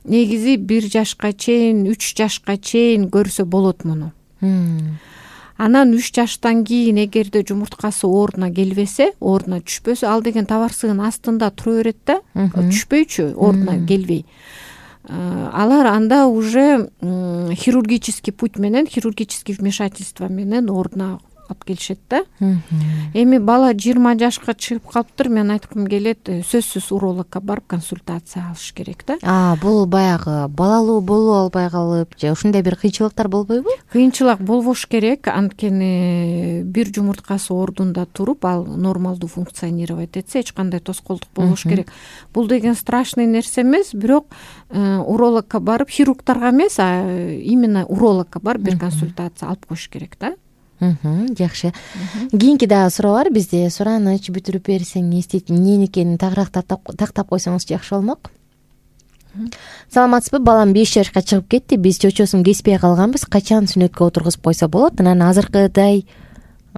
негизи 1 жашка чейин, 3 жашка чейин көрсө болот муну. Анан 3 жаштан кийин эгерде жумурткасы ордуна келбесе, ордуна түшпөсө, ал деген табарсыгын астында тура берет да, түшпөйчү, ордуна келбей. Алар анда уже хирургический путь менен, хирургический вмешательство менен ордуна алып келишет да. Эми бала 20 жашка чыгып калыптыр, мен айткым келет, сөзсүз урологко барып консультация алыш керек да. Бул баягы балалуу болуп албай калып же ушундай бир кыйынчылыктар болбойбу? Кыйынчылык болбош керек, анткени бир жумурткасы ордунда туруп, ал нормалдуу функционировать этсе, эч кандай тоскоолдук болбош керек. Бул деген страшный нерсе эмес, бирок урологко барып, хирургдарга эмес, именно урологко барып бир консультация алып коюш керек да. Жакшы. Кийинки дагы суроо бар бизде. Сураныч бүтүрүп берсең эмне экенин тагыраак тактап койсоңуз жакшы болмок. Саламатсызбы? Балам 5 жашка чыгып кетти. Биз чочосун кеспей калганбыз. Качан сүнөткө отургузуп койсо болот? Анан азыркыдай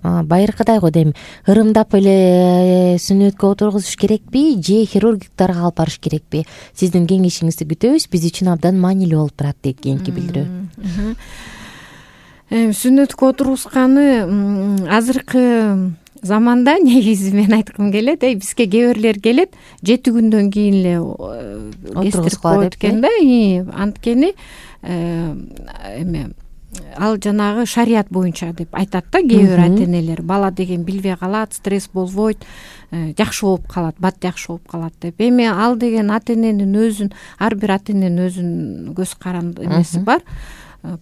байыркыдай го дейм. Ырымдап эле сүнөткө отургузуш керекпи же хирургдарга алып барыш керекпи? Сиздин кеңешиңизди күтөбүз. Биз үчүн абдан маанилүү болуп турат дейт кийинки билдирүү. Сүнөткө отургузганы азыркы заманда негизи мен айткым келет, бизге кээ бирлер келет 7 күндөн кийин эле отургузуп коет экен да. Анткени ал жанагы шарият боюнча деп айтат да кээ бир ата энелер. Бала деген билбей калат, стресс болбойт, жакшы болуп калат, бат жакшы болуп калат деп. Эми ал деген ата эненин өзүн, ар бир ата эненин өзүнүн көз каранды эмеси бар.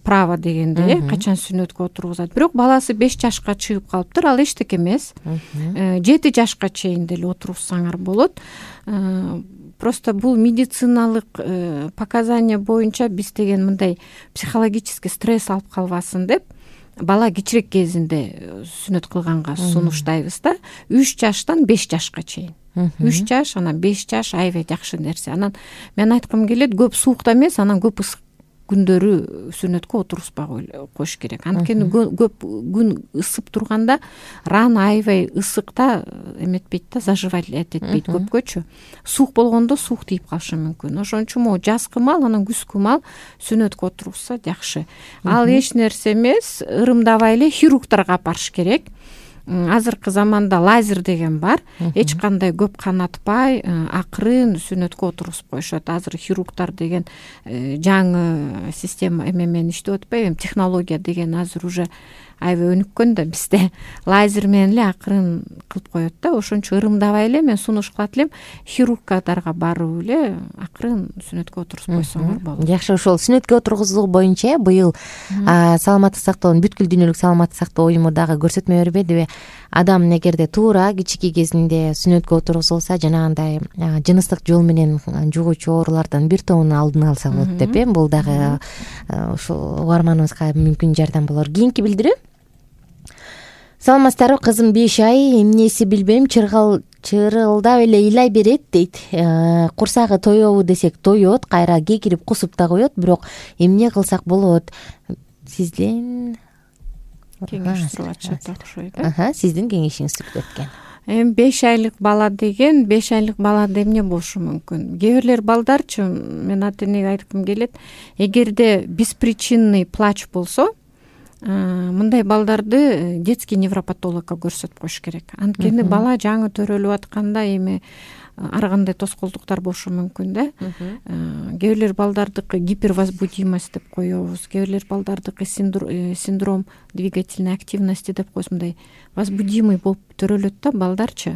Право дегенде, качан сүнөткө отургузат. Бирок баласы 5 жашка чыгып калыптыр, ал эчтеке эмес. 7 жашка чейин деле отургузсаңар болот. Просто бул медициналык показания боюнча биз деген мындай психологический стресс алып калбасын деп бала кичирээк кезинде сүнөт кылганга сунуштайбыз да. 3 жаштан 5 жашка чейин. 3 жаш, анан 5 жаш аябай жакшы нерсе. Анан мен айткым келет, көп суукта эмес, анан көп ысык күндөрү сүнөткө отургузбай коюш керек. Анткени көп күн ысып турганда рана аябай ысыкта эметпейт да, заживать этпейт көпкөчү. Суук болгондо суук тийип калышы мүмкүн. Ошон үчүн жазкы мал, анан күзгү мал сүнөткө отургузса жакшы. Ал эч нерсе эмес, ырымдабай эле хирургдарга барыш керек. Азыркы заманда лазер деген бар. Эч кандай көп канатпай, акырын сүнөткө отургузуп коюшат. Азыр хирургдар деген жаңы система менен иштеп атпайбы? Технология деген азыр уже аябай өнүккөн да бизде. Лазер менен эле акырын кылып коет да. Ошончо ырымдабай эле мен сунуш кылат элем, хирургдарга барып эле акырын сүнөткө отургузуп койсоңор болот. Жакшы, ошол сүнөткө отургузуу боюнча быйыл саламаттык сактоонун бүткүл дүйнөлүк саламаттык сактоо уюму дагы көрсөтмө бербедиби? Адам эгерде туура кичинекей кезинде сүнөткө отургузулса, жанагындай жыныстык жол менен жугуучу оорулардан бир тобун алдын алса болот деп. Бул дагы ушул угарманыбызга мүмкүн жардам болор. Кийинки билдирүү. Саламатсыздарбы? Кызым 5 ай, эмнеси билбейм, чырылдап эле ыйлай берет дейт. Курсагы тоебу десек тоет, кайра кекирип кусуп да коет, бирок эмне кылсак болот? Сизден кеңеш суруп атышат окшойт. Сиздин кеңешиңиз түрдө өткөн. Эми 5 айлык бала деген 5 айлык балада эмне болушу мүмкүн? Кээ бирлер балдарчы, мен ата энеге айткым келет, эгерде беспричинный плач болсо, мындай балдарды детский невропатологко көрсөтүп коюш керек. Анткени бала жаңы төрөлүп атканда эми ар кандай тоскоолдуктар болушу мүмкүн да. Кээ бирлер балдардыкы гипервозбудимость деп коебуз, кээ бирлер балдардыкы синдром двигательной активности деп коебуз, мындай возбудимый болуп төрөлөт да балдарчы.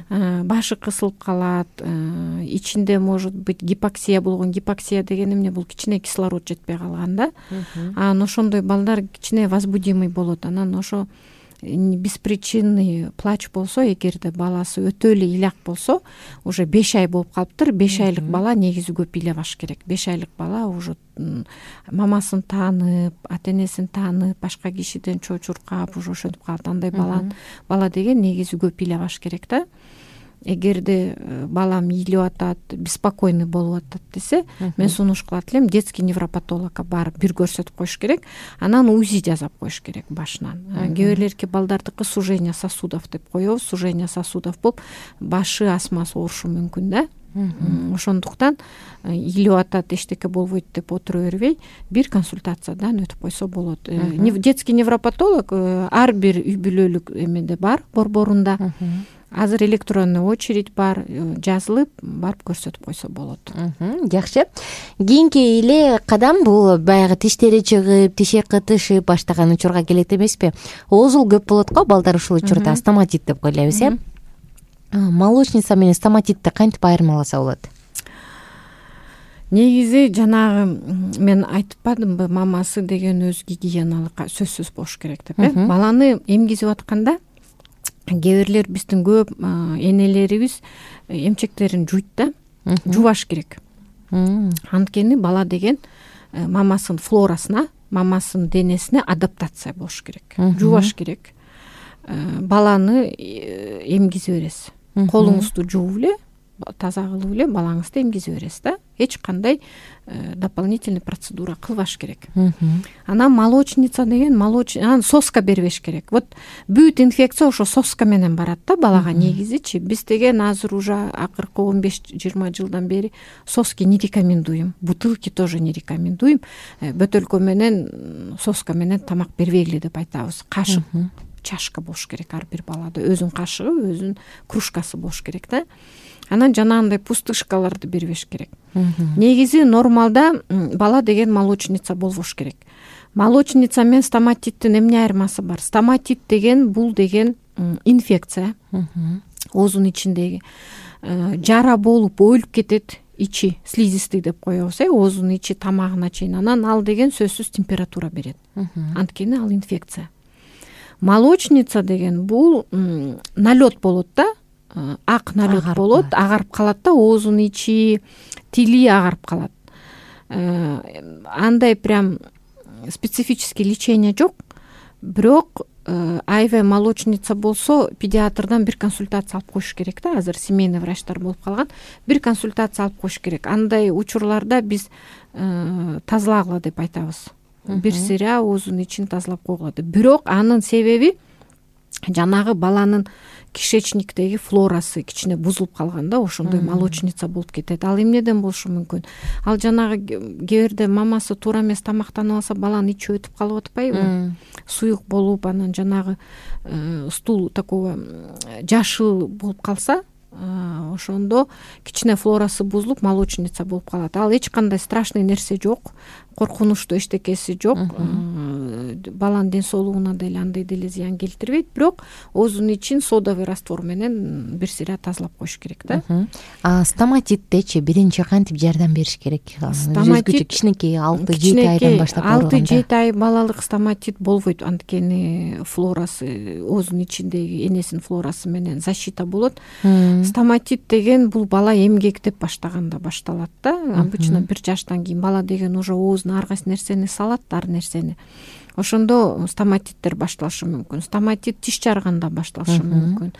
Башы кысылып калат, ичинде может быть гипоксия болгон. Гипоксия деген эмне? Бул кичине кислород жетпей калган да. Анан ошондой балдар кичине возбудимый болот. Анан ошо беспричинный плач болсо, эгерде баласы өтө эле ыляк болсо, уже 5 ай болуп калыптыр. 5 айлык бала негизи көп ыйлабаш керек. 5 айлык бала уже мамасын таанып, ата энесин таанып, башка кишиден чочуркап уже ошентип калат. Андай бала деген негизи көп ыйлабаш керек да. Эгерде балам ыйлап атат, беспокойный болуп атат десе, мен сунуш кылат элем детский невропатологко барып бир көрсөтүп коюш керек. Анан УЗИ жасап коюш керек башынан. Кээ бирлерки балдардыкы сужение сосудов деп коебуз. Сужение сосудов болуп башы астмасы оорушу мүмкүн да. Ошондуктан ыйлап атат, эчтеке болбойт деп отура бербей, бир консультациядан өтүп койсо болот. Детский невропатолог ар бир үй бүлөлүк эмеде бар, борборунда. Азыр электронный очередь бар, жазылып барып көрсөтүп койсо болот. Жакшы. Кийинки эле кадам бул баягы тиштери чыгып, тиши кытышып баштаган учурга келет эмеспи? Оозул көп болот го балдар ушул учурда, стоматит деп коелебиз, э? Молочница менен стоматитти кантип айырмаласа болот? Негизи жанагы мен айтпадымбы, мамасы деген өз гигиеналык сөзсүз болуш керек деп, э? Баланы эмгизип атканда кээ бирлер биздин көп энелерибиз эмчектерин жуйт да, жубаш керек. Анткени бала деген мамасынын флорасына, мамасынын денесине адаптация болуш керек. Жубаш керек. Баланы эмгизе бересиз. Колуңузду жууп эле, таза кылып эле балаңызды эмгизе бересиз да. Эч кандай дополнительный процедура кылбаш керек. Анан молочница деген анан соска бербеш керек. Вот бүт инфекция ошо соска менен барат да балага негизичи. Биз деген азыр уже акыркы 15-20 жылдан бери соски не рекомендуем. Бутылки тоже не рекомендуем. Бөтөлкө менен соска менен тамак бербегиле деп айтабыз. Кашык, чашка болуш керек ар бир балада. Өзүнүн кашыгы, өзүнүн кружкасы болуш керек да. Анан жанагындай пустышкаларды бербеш керек. Негизи нормалда бала деген молочница болбош керек. Молочница менен стоматиттин эмне айырмасы бар? Стоматит деген бул деген инфекция. Оозунун ичиндеги жара болуп өлүп кетет, ичи слизистый деп коебуз, оозунун ичи тамагына чейин. Анан ал деген сөзсүз температура берет. Анткени ал инфекция. Молочница деген бул налет болот да. Ак налет болот, агарып калат да, оозунун ичи, тили агарып калат. Андай прям специфический лечение жок. Бирок АИВ молочница болсо, педиатрдан бир консультация алып коюш керек да. Азыр семейный врачтар болуп калган. Бир консультация алып коюш керек. Андай учурларда биз тазалагыла деп айтабыз. Бир сыйра оозунун ичин тазалап койгула деп. Бирок анын себеби жанагы баланын кишечниктеги флорасы кичине бузулуп калганда ошондой молочница болуп кетет. Ал эмнеден болушу мүмкүн? Ал жанагы кээ бирде мамасы туура эмес тамактанып алса, баланын ичи өтүп калып атпайбы? Суюк болуп, анан жанагы стул такого жашыл болуп калса, ошондо кичине флорасы бузулуп, молочница болуп калат. Ал эч кандай страшный нерсе жок, коркунучтуу эчтекеси жок. Баланын ден соолугуна деле андай деле зыян келтирбейт, бирок оозунун ичин содовый раствор менен бир сыйра тазалап коюш керек да. Стоматиттечи биринчи кантип жардам бериш керек? Стоматит кичинекей 6-7 айдан баштап ооруганда. 6-7 ай балалык стоматит болбойт, анткени флорасы, оозунун ичиндеги энесинин флорасы менен защита болот. Стоматит деген бул бала эмгектеп баштаганда башталат да. Обычно 1 жаштан кийин бала деген уже оозуна ар кайсы нерсени салат, ар нерсени. Ошондо стоматиттер башталышы мүмкүн. Стоматит тиш жарганда башталышы мүмкүн.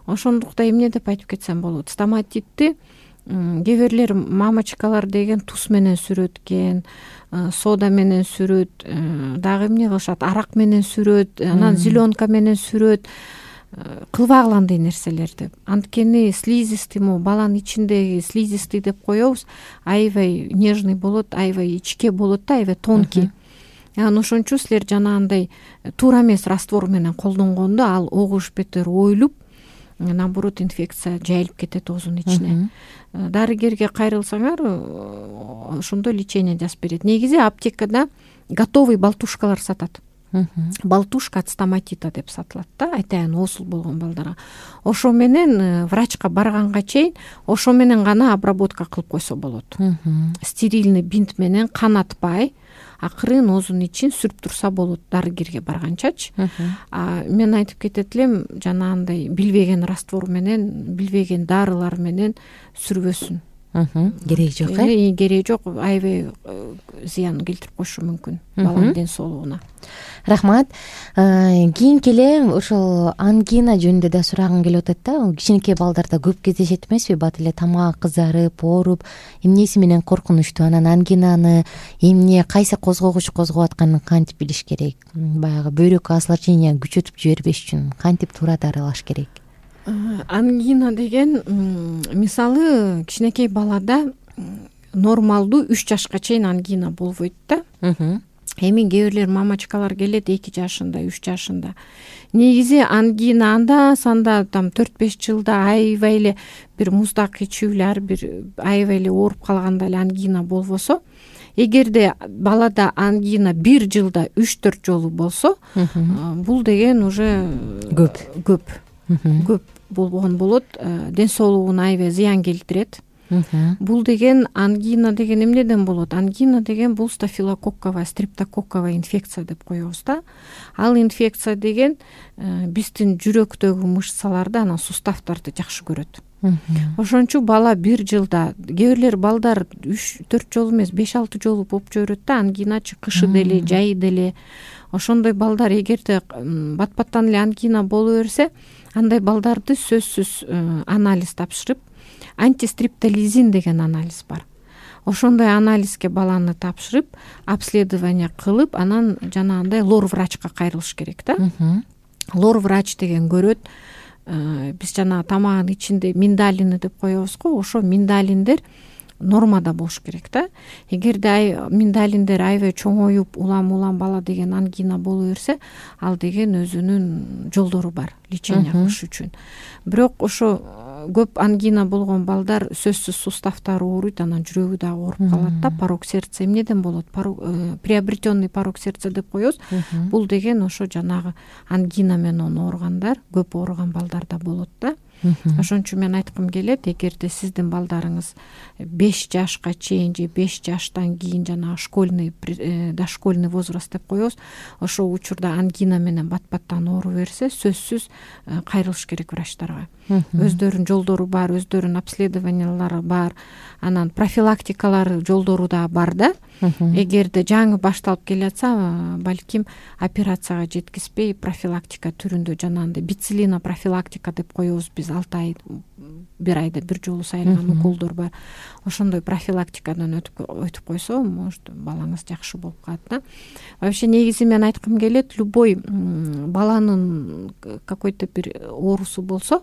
Ошондуктан эмне деп айтып кетсем болот, стоматитти кээ бирлер мамочкалар деген туз менен сүрөт экен, сода менен сүрөт, дагы эмне кылышат, арак менен сүрөт, анан зеленка менен сүрөт. Кылбагыла андай нерселерди. Анткени слизистый, баланын ичиндеги слизистый деп коебуз, аябай нежный болот, аябай ичке болот да, аябай тонкий. Анан ошон үчүн силер жанагындай туура эмес раствор менен колдонгондо ал огуш бетер оюлуп, наоборот инфекция жайылып кетет оозунун ичине. Дарыгерге кайрылсаңар, ошондой лечение жазып берет. Негизи аптекада готовый балтушкалар сатат. Балтушка от стоматита деп сатылат да, айтайын оосул болгон балдарга. Ошо менен врачка барганга чейин ошо менен гана обработка кылып койсо болот. Стерильный бинт менен канатпай акырын оозунун ичин сүрүп турса болот дарыгерге барганчачы. Мен айтып кетет элем, жанагындай билбеген раствор менен, билбеген дарылар менен сүрбөсүн. Кереги жок. Кереги жок, аябай зыян келтирип коюшу мүмкүн баланын ден соолугуна. Рахмат. Кийинки эле ошол ангина жөнүндө да сурагым келип атат да. Кичинекей балдарда көп кездешет эмеспи? Бат эле тамак кызарып, ооруп, эмнеси менен коркунучтуу? Анан ангинаны эмне, кайсы козгогуч козгоп атканын кантип билиш керек? Баягы бөйрөккө осложнение күчөтүп жибербеш үчүн кантип туура дарылаш керек? Ангина деген мисалы кичинекей балада нормалдуу 3 жашка чейин ангина болбойт да. Эми кээ бирлер мамочкалар келет 2 жашында, 3 жашында. Негизи ангина анда санда 4-5 жылда аябай эле бир муздак ичүү эле, ар бир аябай эле ооруп калганда эле ангина болбосо, эгерде балада ангина 1 жылда 3-4 жолу болсо, бул деген уже көп болгон болот, ден соолугуна аябай зыян келтирет. Бул деген ангина деген эмнеден болот? Ангина деген бул стафилококковая, стрептококковая инфекция деп коебуз да. Ал инфекция деген биздин жүрөктөгү мышцаларды, анан суставтарды жакшы көрөт. Ошон үчүн бала 1 жылда, кээ бирлер балдар 3-4 жолу эмес, 5-6 жолу болуп жүрөт да, ангиначы кышы деле, жайы деле. Ошондой балдар эгерде бат-баттан эле ангина боло берсе, андай балдарды сөзсүз анализ тапшырып, антистриптолизин деген анализ бар. Ошондой анализге баланы тапшырып, обследование кылып, анан жанагындай лор врачка кайрылыш керек да. Лор врач деген көрөт, биз жана тамагынын ичинде миндалины деп коебуз го, ошо миндалиндер нормада болуш керек да. Эгерде миндалиндер аябай чоңоюп, улам бала деген ангина боло берсе, ал деген өзүнүн жолдору бар лечение кылыш үчүн. Бирок ошо көп ангина болгон балдар сөзсүз суставтары ооруйт, анан жүрөгү дагы ооруп калат да. Порок сердца эмнеден болот? Приобретенный порок сердца деп коебуз. Бул деген ошо жанагы ангина менен ооругандар, көп ооруган балдарда болот да. Ошон үчүн мен айткым келет, эгерде сиздин балдарыңыз 5 жашка чейин же 5 жаштан кийин жанагы школьный, дошкольный возраст деп коебуз, ошол учурда ангина менен бат-баттан ооруп берсе, сөзсүз кайрылыш керек врачтарга. Өздөрүнүн жолдору бар, өздөрүнүн обследованиялары бар, анан профилактикалары жолдору да бар да. Эгерде жаңы башталып келатса, балким операцияга жеткизбей профилактика түрүндө жанагындай бицилина профилактика деп коебуз биз, 6 ай, 1 айда 1 жолу сайылган уколдор бар. Ошондой профилактикадан өтүп койсо, может балаңыз жакшы болуп калат да. Вообще негизи мен айткым келет, любой баланын какой-то бир оорусу болсо,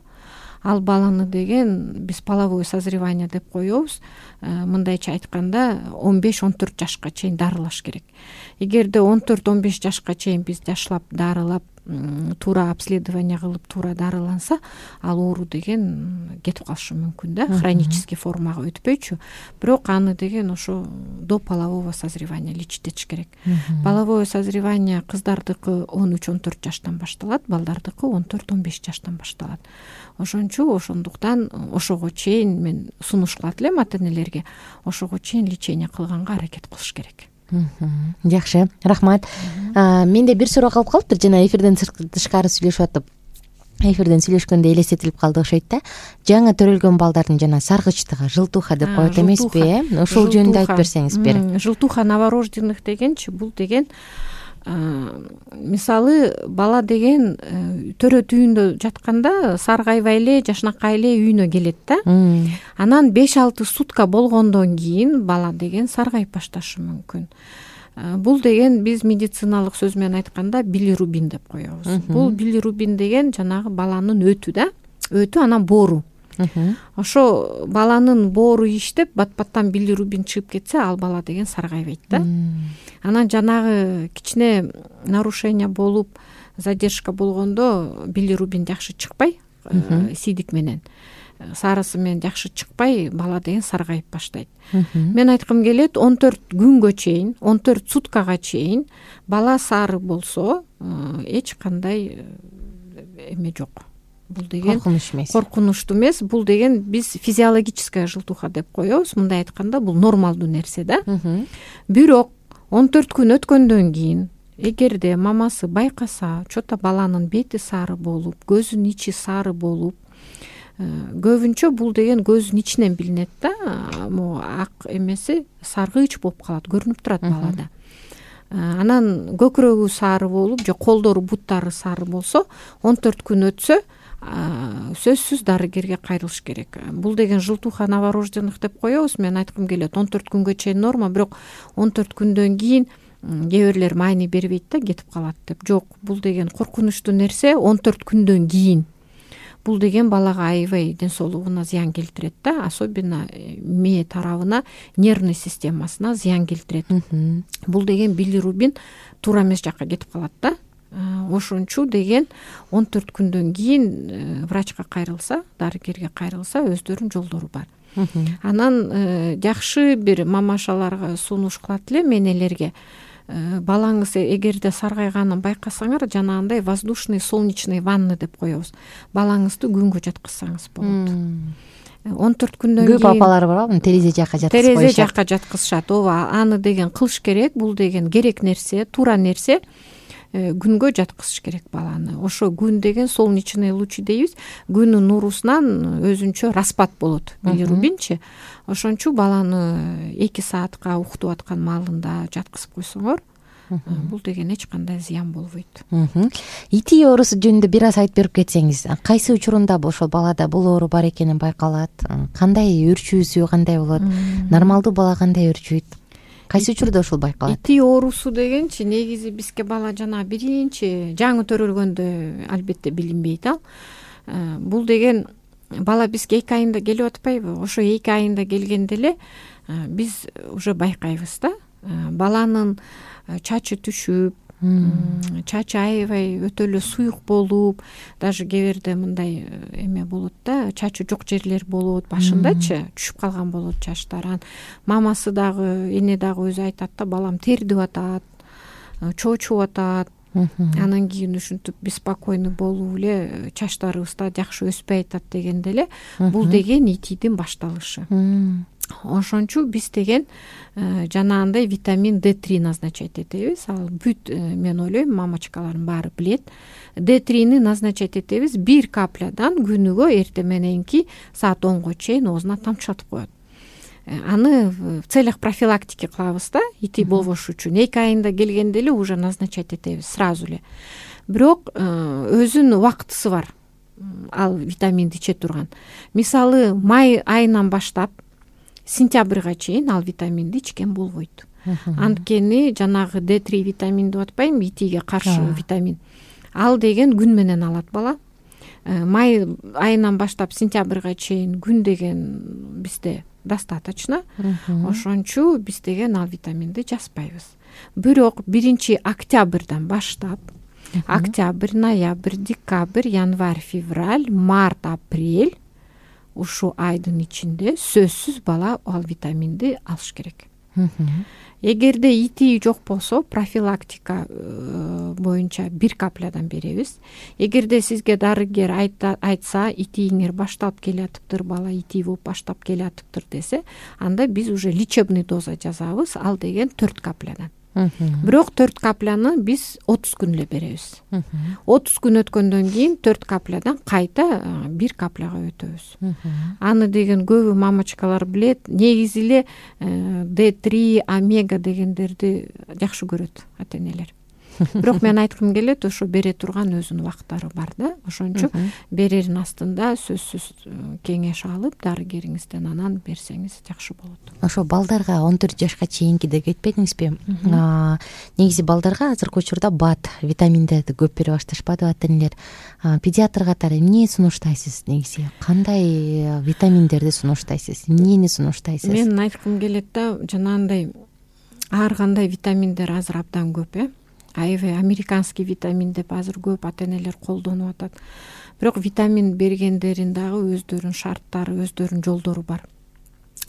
ал баланы деген биз половое созревание деп коебуз. Мындайча айтканда 15-14 жашка чейин дарылаш керек. Эгерде 14-15 жашка чейин биз жашлап дарылап, туура обследование кылып, туура дарыланса, ал оору деген кетип калышы мүмкүн да, хронический формага өтпөйчү. Бирок аны деген ошо до полового созревания лечить этиш керек. Половое созревание кыздардыкы 13-14 жаштан башталат, балдардыкы 14-15 жаштан башталат. Ошон үчүн ошондуктан ошого чейин мен сунуш кылат элем ата-энелерге, ошого чейин лечение кылганга аракет кылыш керек. Жакшы, рахмат. Менде бир суроо калып калыптыр, жана эфирден тышкары сүйлөшүп атып, эфирден сүйлөшкөндө элестетилип калды окшойт да. Жаңы төрөлгөн балдардын жана саргычтыгы, жылтуха деп коет эмеспи? Ошол жөнүндө айтып берсеңиз бир. Жылтуха новорожденных дегенчи, бул деген мисалы бала деген төрөт үйүндө жатканда саргайбай эле жашнакай эле үйүнө келет да. Анан 5-6 сутка болгондон кийин бала деген саргайып башташы мүмкүн. Бул деген биз медициналык сөз менен айтканда билирубин деп коебуз. Бул билирубин деген жанагы баланын өтү да. Өтү анан боору. Ошо баланын боору иштеп бат-баттан билирубин чыгып кетсе, ал бала деген саргайбайт да. Анан жанагы кичине нарушение болуп, задержка болгондо билирубин жакшы чыкпай, сийдик менен сарысы менен жакшы чыкпай, бала деген саргайып баштайт. Мен айткым келет, 14 күнгө чейин, 14 суткага чейин бала сары болсо, эч кандай эме жок. Бул деген коркунучтуу эмес. Бул деген биз физиологическая желтуха деп коебуз. Мындай айтканда бул нормалдуу нерсе да. Бирок 14 күн өткөндөн кийин эгерде мамасы байкаса, чота баланын бети сары болуп, көзүнүн ичи сары болуп, көбүнчө бул деген көздүн ичинен билинет да. Могу ак эмеси саргыч болуп калат, көрүнүп турат балада. Анан көкүрөгү сары болуп, же колдору, буттары сары болсо, 14 күн өтсө, сөзсүз дарыгерге кайрылыш керек. Бул деген желтуха новорожденных деп коебуз. Мен айткым келет, 14 күнгө чейин норма, бирок 14 күндөн кийин кээ бирлер маани бербейт да, кетип калат деп. Жок, бул деген коркунучтуу нерсе. 14 күндөн кийин бул деген балага аябай ден соолугуна зыян келтирет да, особенно мээ тарабына, нервный системасына зыян келтирет. Бул деген билирубин туура эмес жакка кетип калат да. Ошончу деген 14 күндөн кийин врачка кайрылса, дарыгерге кайрылса, өздөрүнүн жолдору бар. Анан жакшы бир мамашаларга сунуш кылат элем энелерге. Балаңыз эгерде саргайганын байкасаңар, жанагындай воздушный солнечный ванны деп коебуз. Балаңызды күнгө жаткызсаңыз болот. 14 күндөн кийин көп апалар барбы, терезе жакка жаткызып коюшат. Терезе жакка жаткызышат. Ооба, аны деген кылыш керек. Бул деген керек нерсе, туура нерсе. Күнгө жаткызыш керек баланы. Ошо күн деген солнечный лучи дейбиз. Күнүн нурусунан өзүнчө распад болот, билирубинчи. Ошончу баланы 2 саатка уктуп аткан маалында жаткызып койсоңор, бул деген эч кандай зыян болбойт. ИТИ оорусу жөнүндө бир аз айтып берип кетсеңиз, кайсы учурунда ошол балада бул оору бар экени байкалат? Кандай үрчүүсү кандай болот? Нормалдуу бала кандай үрчүйт? Кайсы учурда ушул байкалат? ИТИ оорусу дегенчи негизи бизге бала жана биринчи жаңы төрөлгөндө албетте билинбейт ал. Бул деген бала бизге 2 айында келип атпайбы? Ошо 2 айында келгенде эле биз уже байкайбыз да. Баланын чачы түшүп, чачы аябай өтө эле суюк болуп, даже кээ бирде мындай эме болот да, чачы жок жерлер болот, башындачы түшүп калган болот чачтар. Мамасы дагы, эне дагы өзү айтат да, балам тердип атат, чоочуп атат. Анан кийин ушинтип беспокойный болуп эле чачтарыбыз да жакшы өспөй атат дегенде эле бул деген ИТИдин башталышы. Ошончу биз деген жанагындай витамин D3 назначать этебиз. Ал бүт, мен ойлойм, мамачкалардын баары билет. D3-ни назначать этебиз 1 каплядан күнүгө эртең мененки саат 10го чейин оозуна тамчылатып коет. Аны в целях профилактики кылабыз да, ИТИ болбош үчүн. 2 айында келгенде эле уже назначать этебиз сразу эле. Бирок өзүнүн убактысы бар. Ал витаминди иче турган. Мисалы, май айынан баштап сентябрга чейин ал витаминди ичкен болбойт. Анткени жанагы D3 витамин деп атпайм, ИТИге каршы витамин. Ал деген күн менен алат бала. Май айынан баштап сентябрга чейин күн деген бизде достаточно. Ошончу биз деген ал витаминди жазбайбыз. Бирок 1 октябрдан баштап октябрь, ноябрь, декабрь, январь, февраль, март, апрель ушу айдын ичинде сөзсүз бала ал витаминди алыш керек. Эгерде ИТИ жок болсо, профилактика боюнча 1 каплядан беребиз. Эгерде сизге дарыгер айтса, ИТИңер башталып келатыптыр, бала ИТИ болуп баштап келатыптыр десе, анда биз уже лечебный доза жазабыз, ал деген 4 каплядан. Бирок 4 капляны биз 30 күн эле беребиз. 30 күн өткөндөн кийин 4 каплядан кайта 1 капляга өтөбүз. Аны деген көбү мамачкалар билет. Негизи эле D3, омега дегендерди жакшы көрөт ата-энелер. бирок мен айткым келет, ошо бере турган өзүнүн убактары бар да. Ошон үчүн берердин астында сөзсүз кеңеш алып дарыгериңизден анан берсеңиз жакшы болот. Ошо балдарга 14 жашка чейинки деп кетпедиңизби? Негизи балдарга азыркы учурда БАД витаминдерди көп бере башташпадыбы ата энелер? Педиатр катары эмне сунуштайсыз негизи? Кандай витаминдерди сунуштайсыз? Эмнени сунуштайсыз? Мен айткым келет да, жанагындай ар кандай витаминдер азыр абдан көп, аябай американский витамин деп азыр көп ата энелер колдонуп атат. Бирок витамин бергендерин дагы өздөрүнүн шарттары, өздөрүнүн жолдору бар.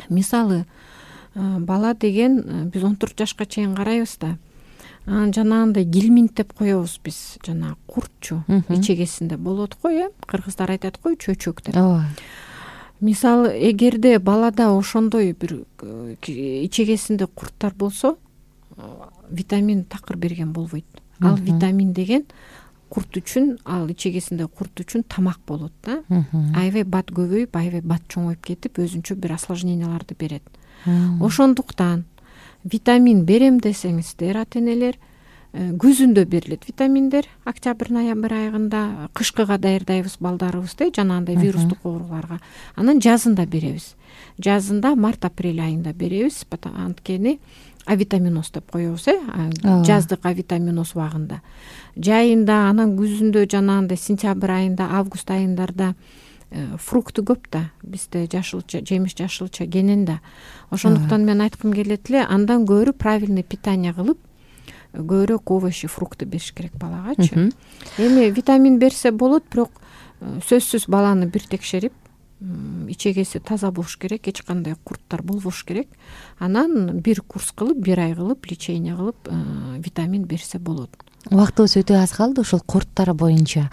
Мисалы, бала деген биз 14 жашка чейин карайбыз да. Жанагындай гельминт деп коебуз биз, жана куртчу ичегесинде болот го, кыргыздар айтат го, чөчөк деп. Мисалы, эгерде балада ошондой бир ичегесинде курттар болсо, витамин такыр берген болбойт. Ал витамин деген курт үчүн, ал ичегесинде курт үчүн тамак болот да. Аябай бат көбөйүп, аябай бат чоңоюп кетип, өзүнчө бир осложненияларды берет. Ошондуктан витамин берем десеңиздер, ата энелер, күзүндө берилет витаминдер, октябрь-ноябрь айында, кышкыга даярдайбыз балдарыбызды, жанагындай вирустук ооруларга. Анан жазында беребиз. Жазында март-апрель айында беребиз, анткени авитаминоз деп коебуз, жаздык авитаминоз убагында. Жайында, анан күзүндө жанагындай сентябрь айында, август айындарда фрукты көп да, бизде жашылча, жемиш жашылча кенен да. Ошондуктан мен айткым келет эле, андан көрү правильный питание кылып, көбүрөөк овощи, фрукты бериш керек балагачы. Эми витамин берсе болот, бирок сөзсүз баланы бир текшерип, ичегеси таза болуш керек, эч кандай курттар болбош керек. Анан бир курс кылып, бир ай кылып, лечение кылып, витамин берсе болот. Убактыбыз өтө аз калды. Ошол курттар боюнча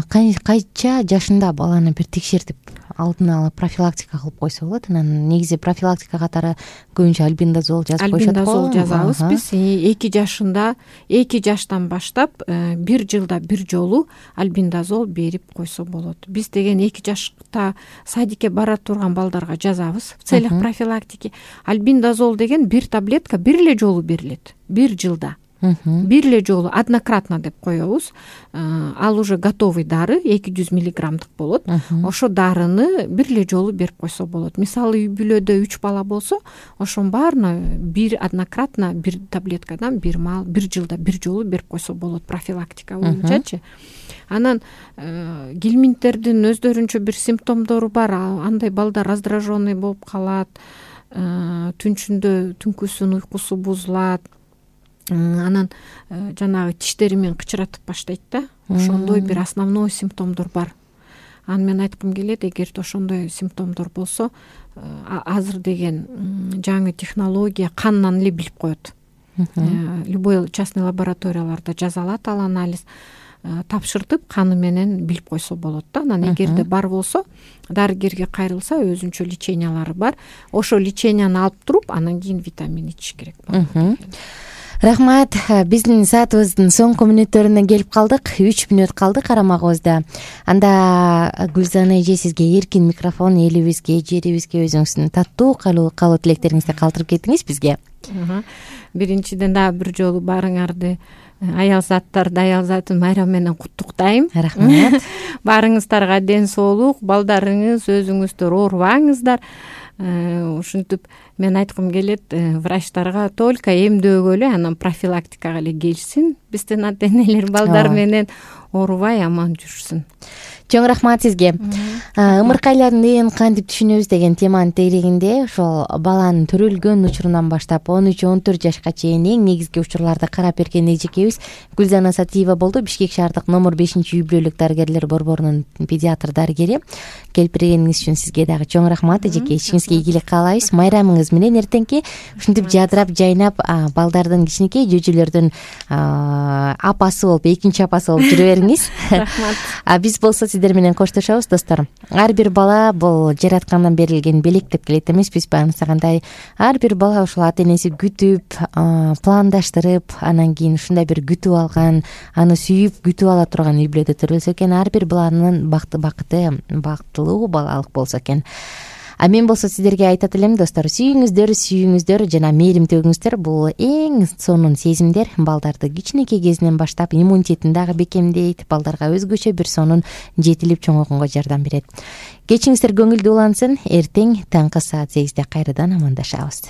кайча жашында баланы бир текшертип, алдын ала профилактика кылып койсо болот? Анан негизи профилактика катары көбүнчө альбендазол жазып коюшат го. Альбендазол жазабыз биз. 2 жашында, 2 жаштан баштап 1 жылда 1 жолу альбендазол берип койсо болот. Биз деген 2 жашта садикке бара турган балдарга жазабыз в целях профилактики. Альбендазол деген 1 таблетка 1 эле жолу берилет. 1 жылда. 1 эле жолу однократно деп коебуз. Ал уже готовый дары, 200 миллиграммдык болот. Ошо дарыны 1 эле жолу берип койсо болот. Мисалы, үй бүлөдө 3 бала болсо, ошонун баарына 1 однократно 1 таблеткадан 1 жылда 1 жолу берип койсо болот профилактика боюнчачы. Анан гельминттердин өздөрүнчө бир симптомдору бар. Андай балдар раздраженный болуп калат, түнчүндө түнкүсүн уйкусу бузулат. Анан жанагы тиштери менен кычыратып баштайт да. Ошондой бир основной симптомдор бар. Аны мен айткым келет, эгерде ошондой симптомдор болсо, азыр деген жаңы технология кандан эле билип коет. Любой частный лабораторияларда жаза алат ал анализ, тапшыртып каны менен билип койсо болот да. Анан эгерде бар болсо, дарыгерге кайрылса, өзүнчө лечениялары бар. Ошо леченияны алып туруп, анан кийин витамин ичиш керек болот. Рахмат. Биздин саатыбыздын соңку мүнөттөрүнө келип калдык. 3 мүнөт калды карамагыбызда. Анда Гүлзана эже, сизге эркин микрофон, элибизге, жерибизге өзүңүздүн таттуу каалоо тилектериңизди калтырып кетиңиз бизге. Биринчиден дагы бир жолу баарыңарды, аял заттарды аял затын майрамы менен куттуктайм. Рахмат. Баарыңыздарга ден соолук, балдарыңыз, өзүңүздөр оорубаңыздар. Ушинтип мен айткым келет, врачтарга только эмдөөгө эле, анан профилактикага эле келсин. Биздин ата энелер балдар менен оорубай аман жүрсүн. Чоң рахмат сизге. Ымыркайлардын кантип түшүнөбүз деген теманын тегерегинде ошол баланын төрөлгөн учурунан баштап 13-14 жашка чейин эң негизги учурларды карап берген эжекебиз Гүлзана Сатиева болду. Бишкек шаардык номер 5-үй бүлөлүк дарыгерлер борборунун педиатр дарыгери. Келип бергениңиз үчүн сизге дагы чоң рахмат эжеке. Ишиңизге ийгилик каалайбыз. Майрамыңыз менен эртеңки ушинтип жадырап жайнап балдардын, кичинекей жөжөлөрдүн апасы болуп, экинчи апасы болуп жүрө бериңиз. Рахмат. Биз болсо сиздер менен коштошобуз достор. Ар бир бала бул жараткандан берилген белек деп келет эмеспизби? Ансагандай ар бир бала ошол ата энеси күтүп, пландаштырып, анан кийин ушундай бир күтүп алган, аны сүйүп күтүп ала турган үй бүлөдө төрөлсө экен, ар бир баланын бакыты бактылуу балалык болсо экен. А мен болсо сиздерге айтат элем достор, сүйүңүздөр жана мээрим төгүңүздөр. Бул эң сонун сезимдер балдарды кичинекей кезинен баштап иммунитетин дагы бекемдейт, балдарга өзгөчө бир сонун жетилип чоңойгонго жардам берет. Кечиңиздер көңүлдүү улансын. Эртең таңкы саат 8де кайрадан амандашабыз.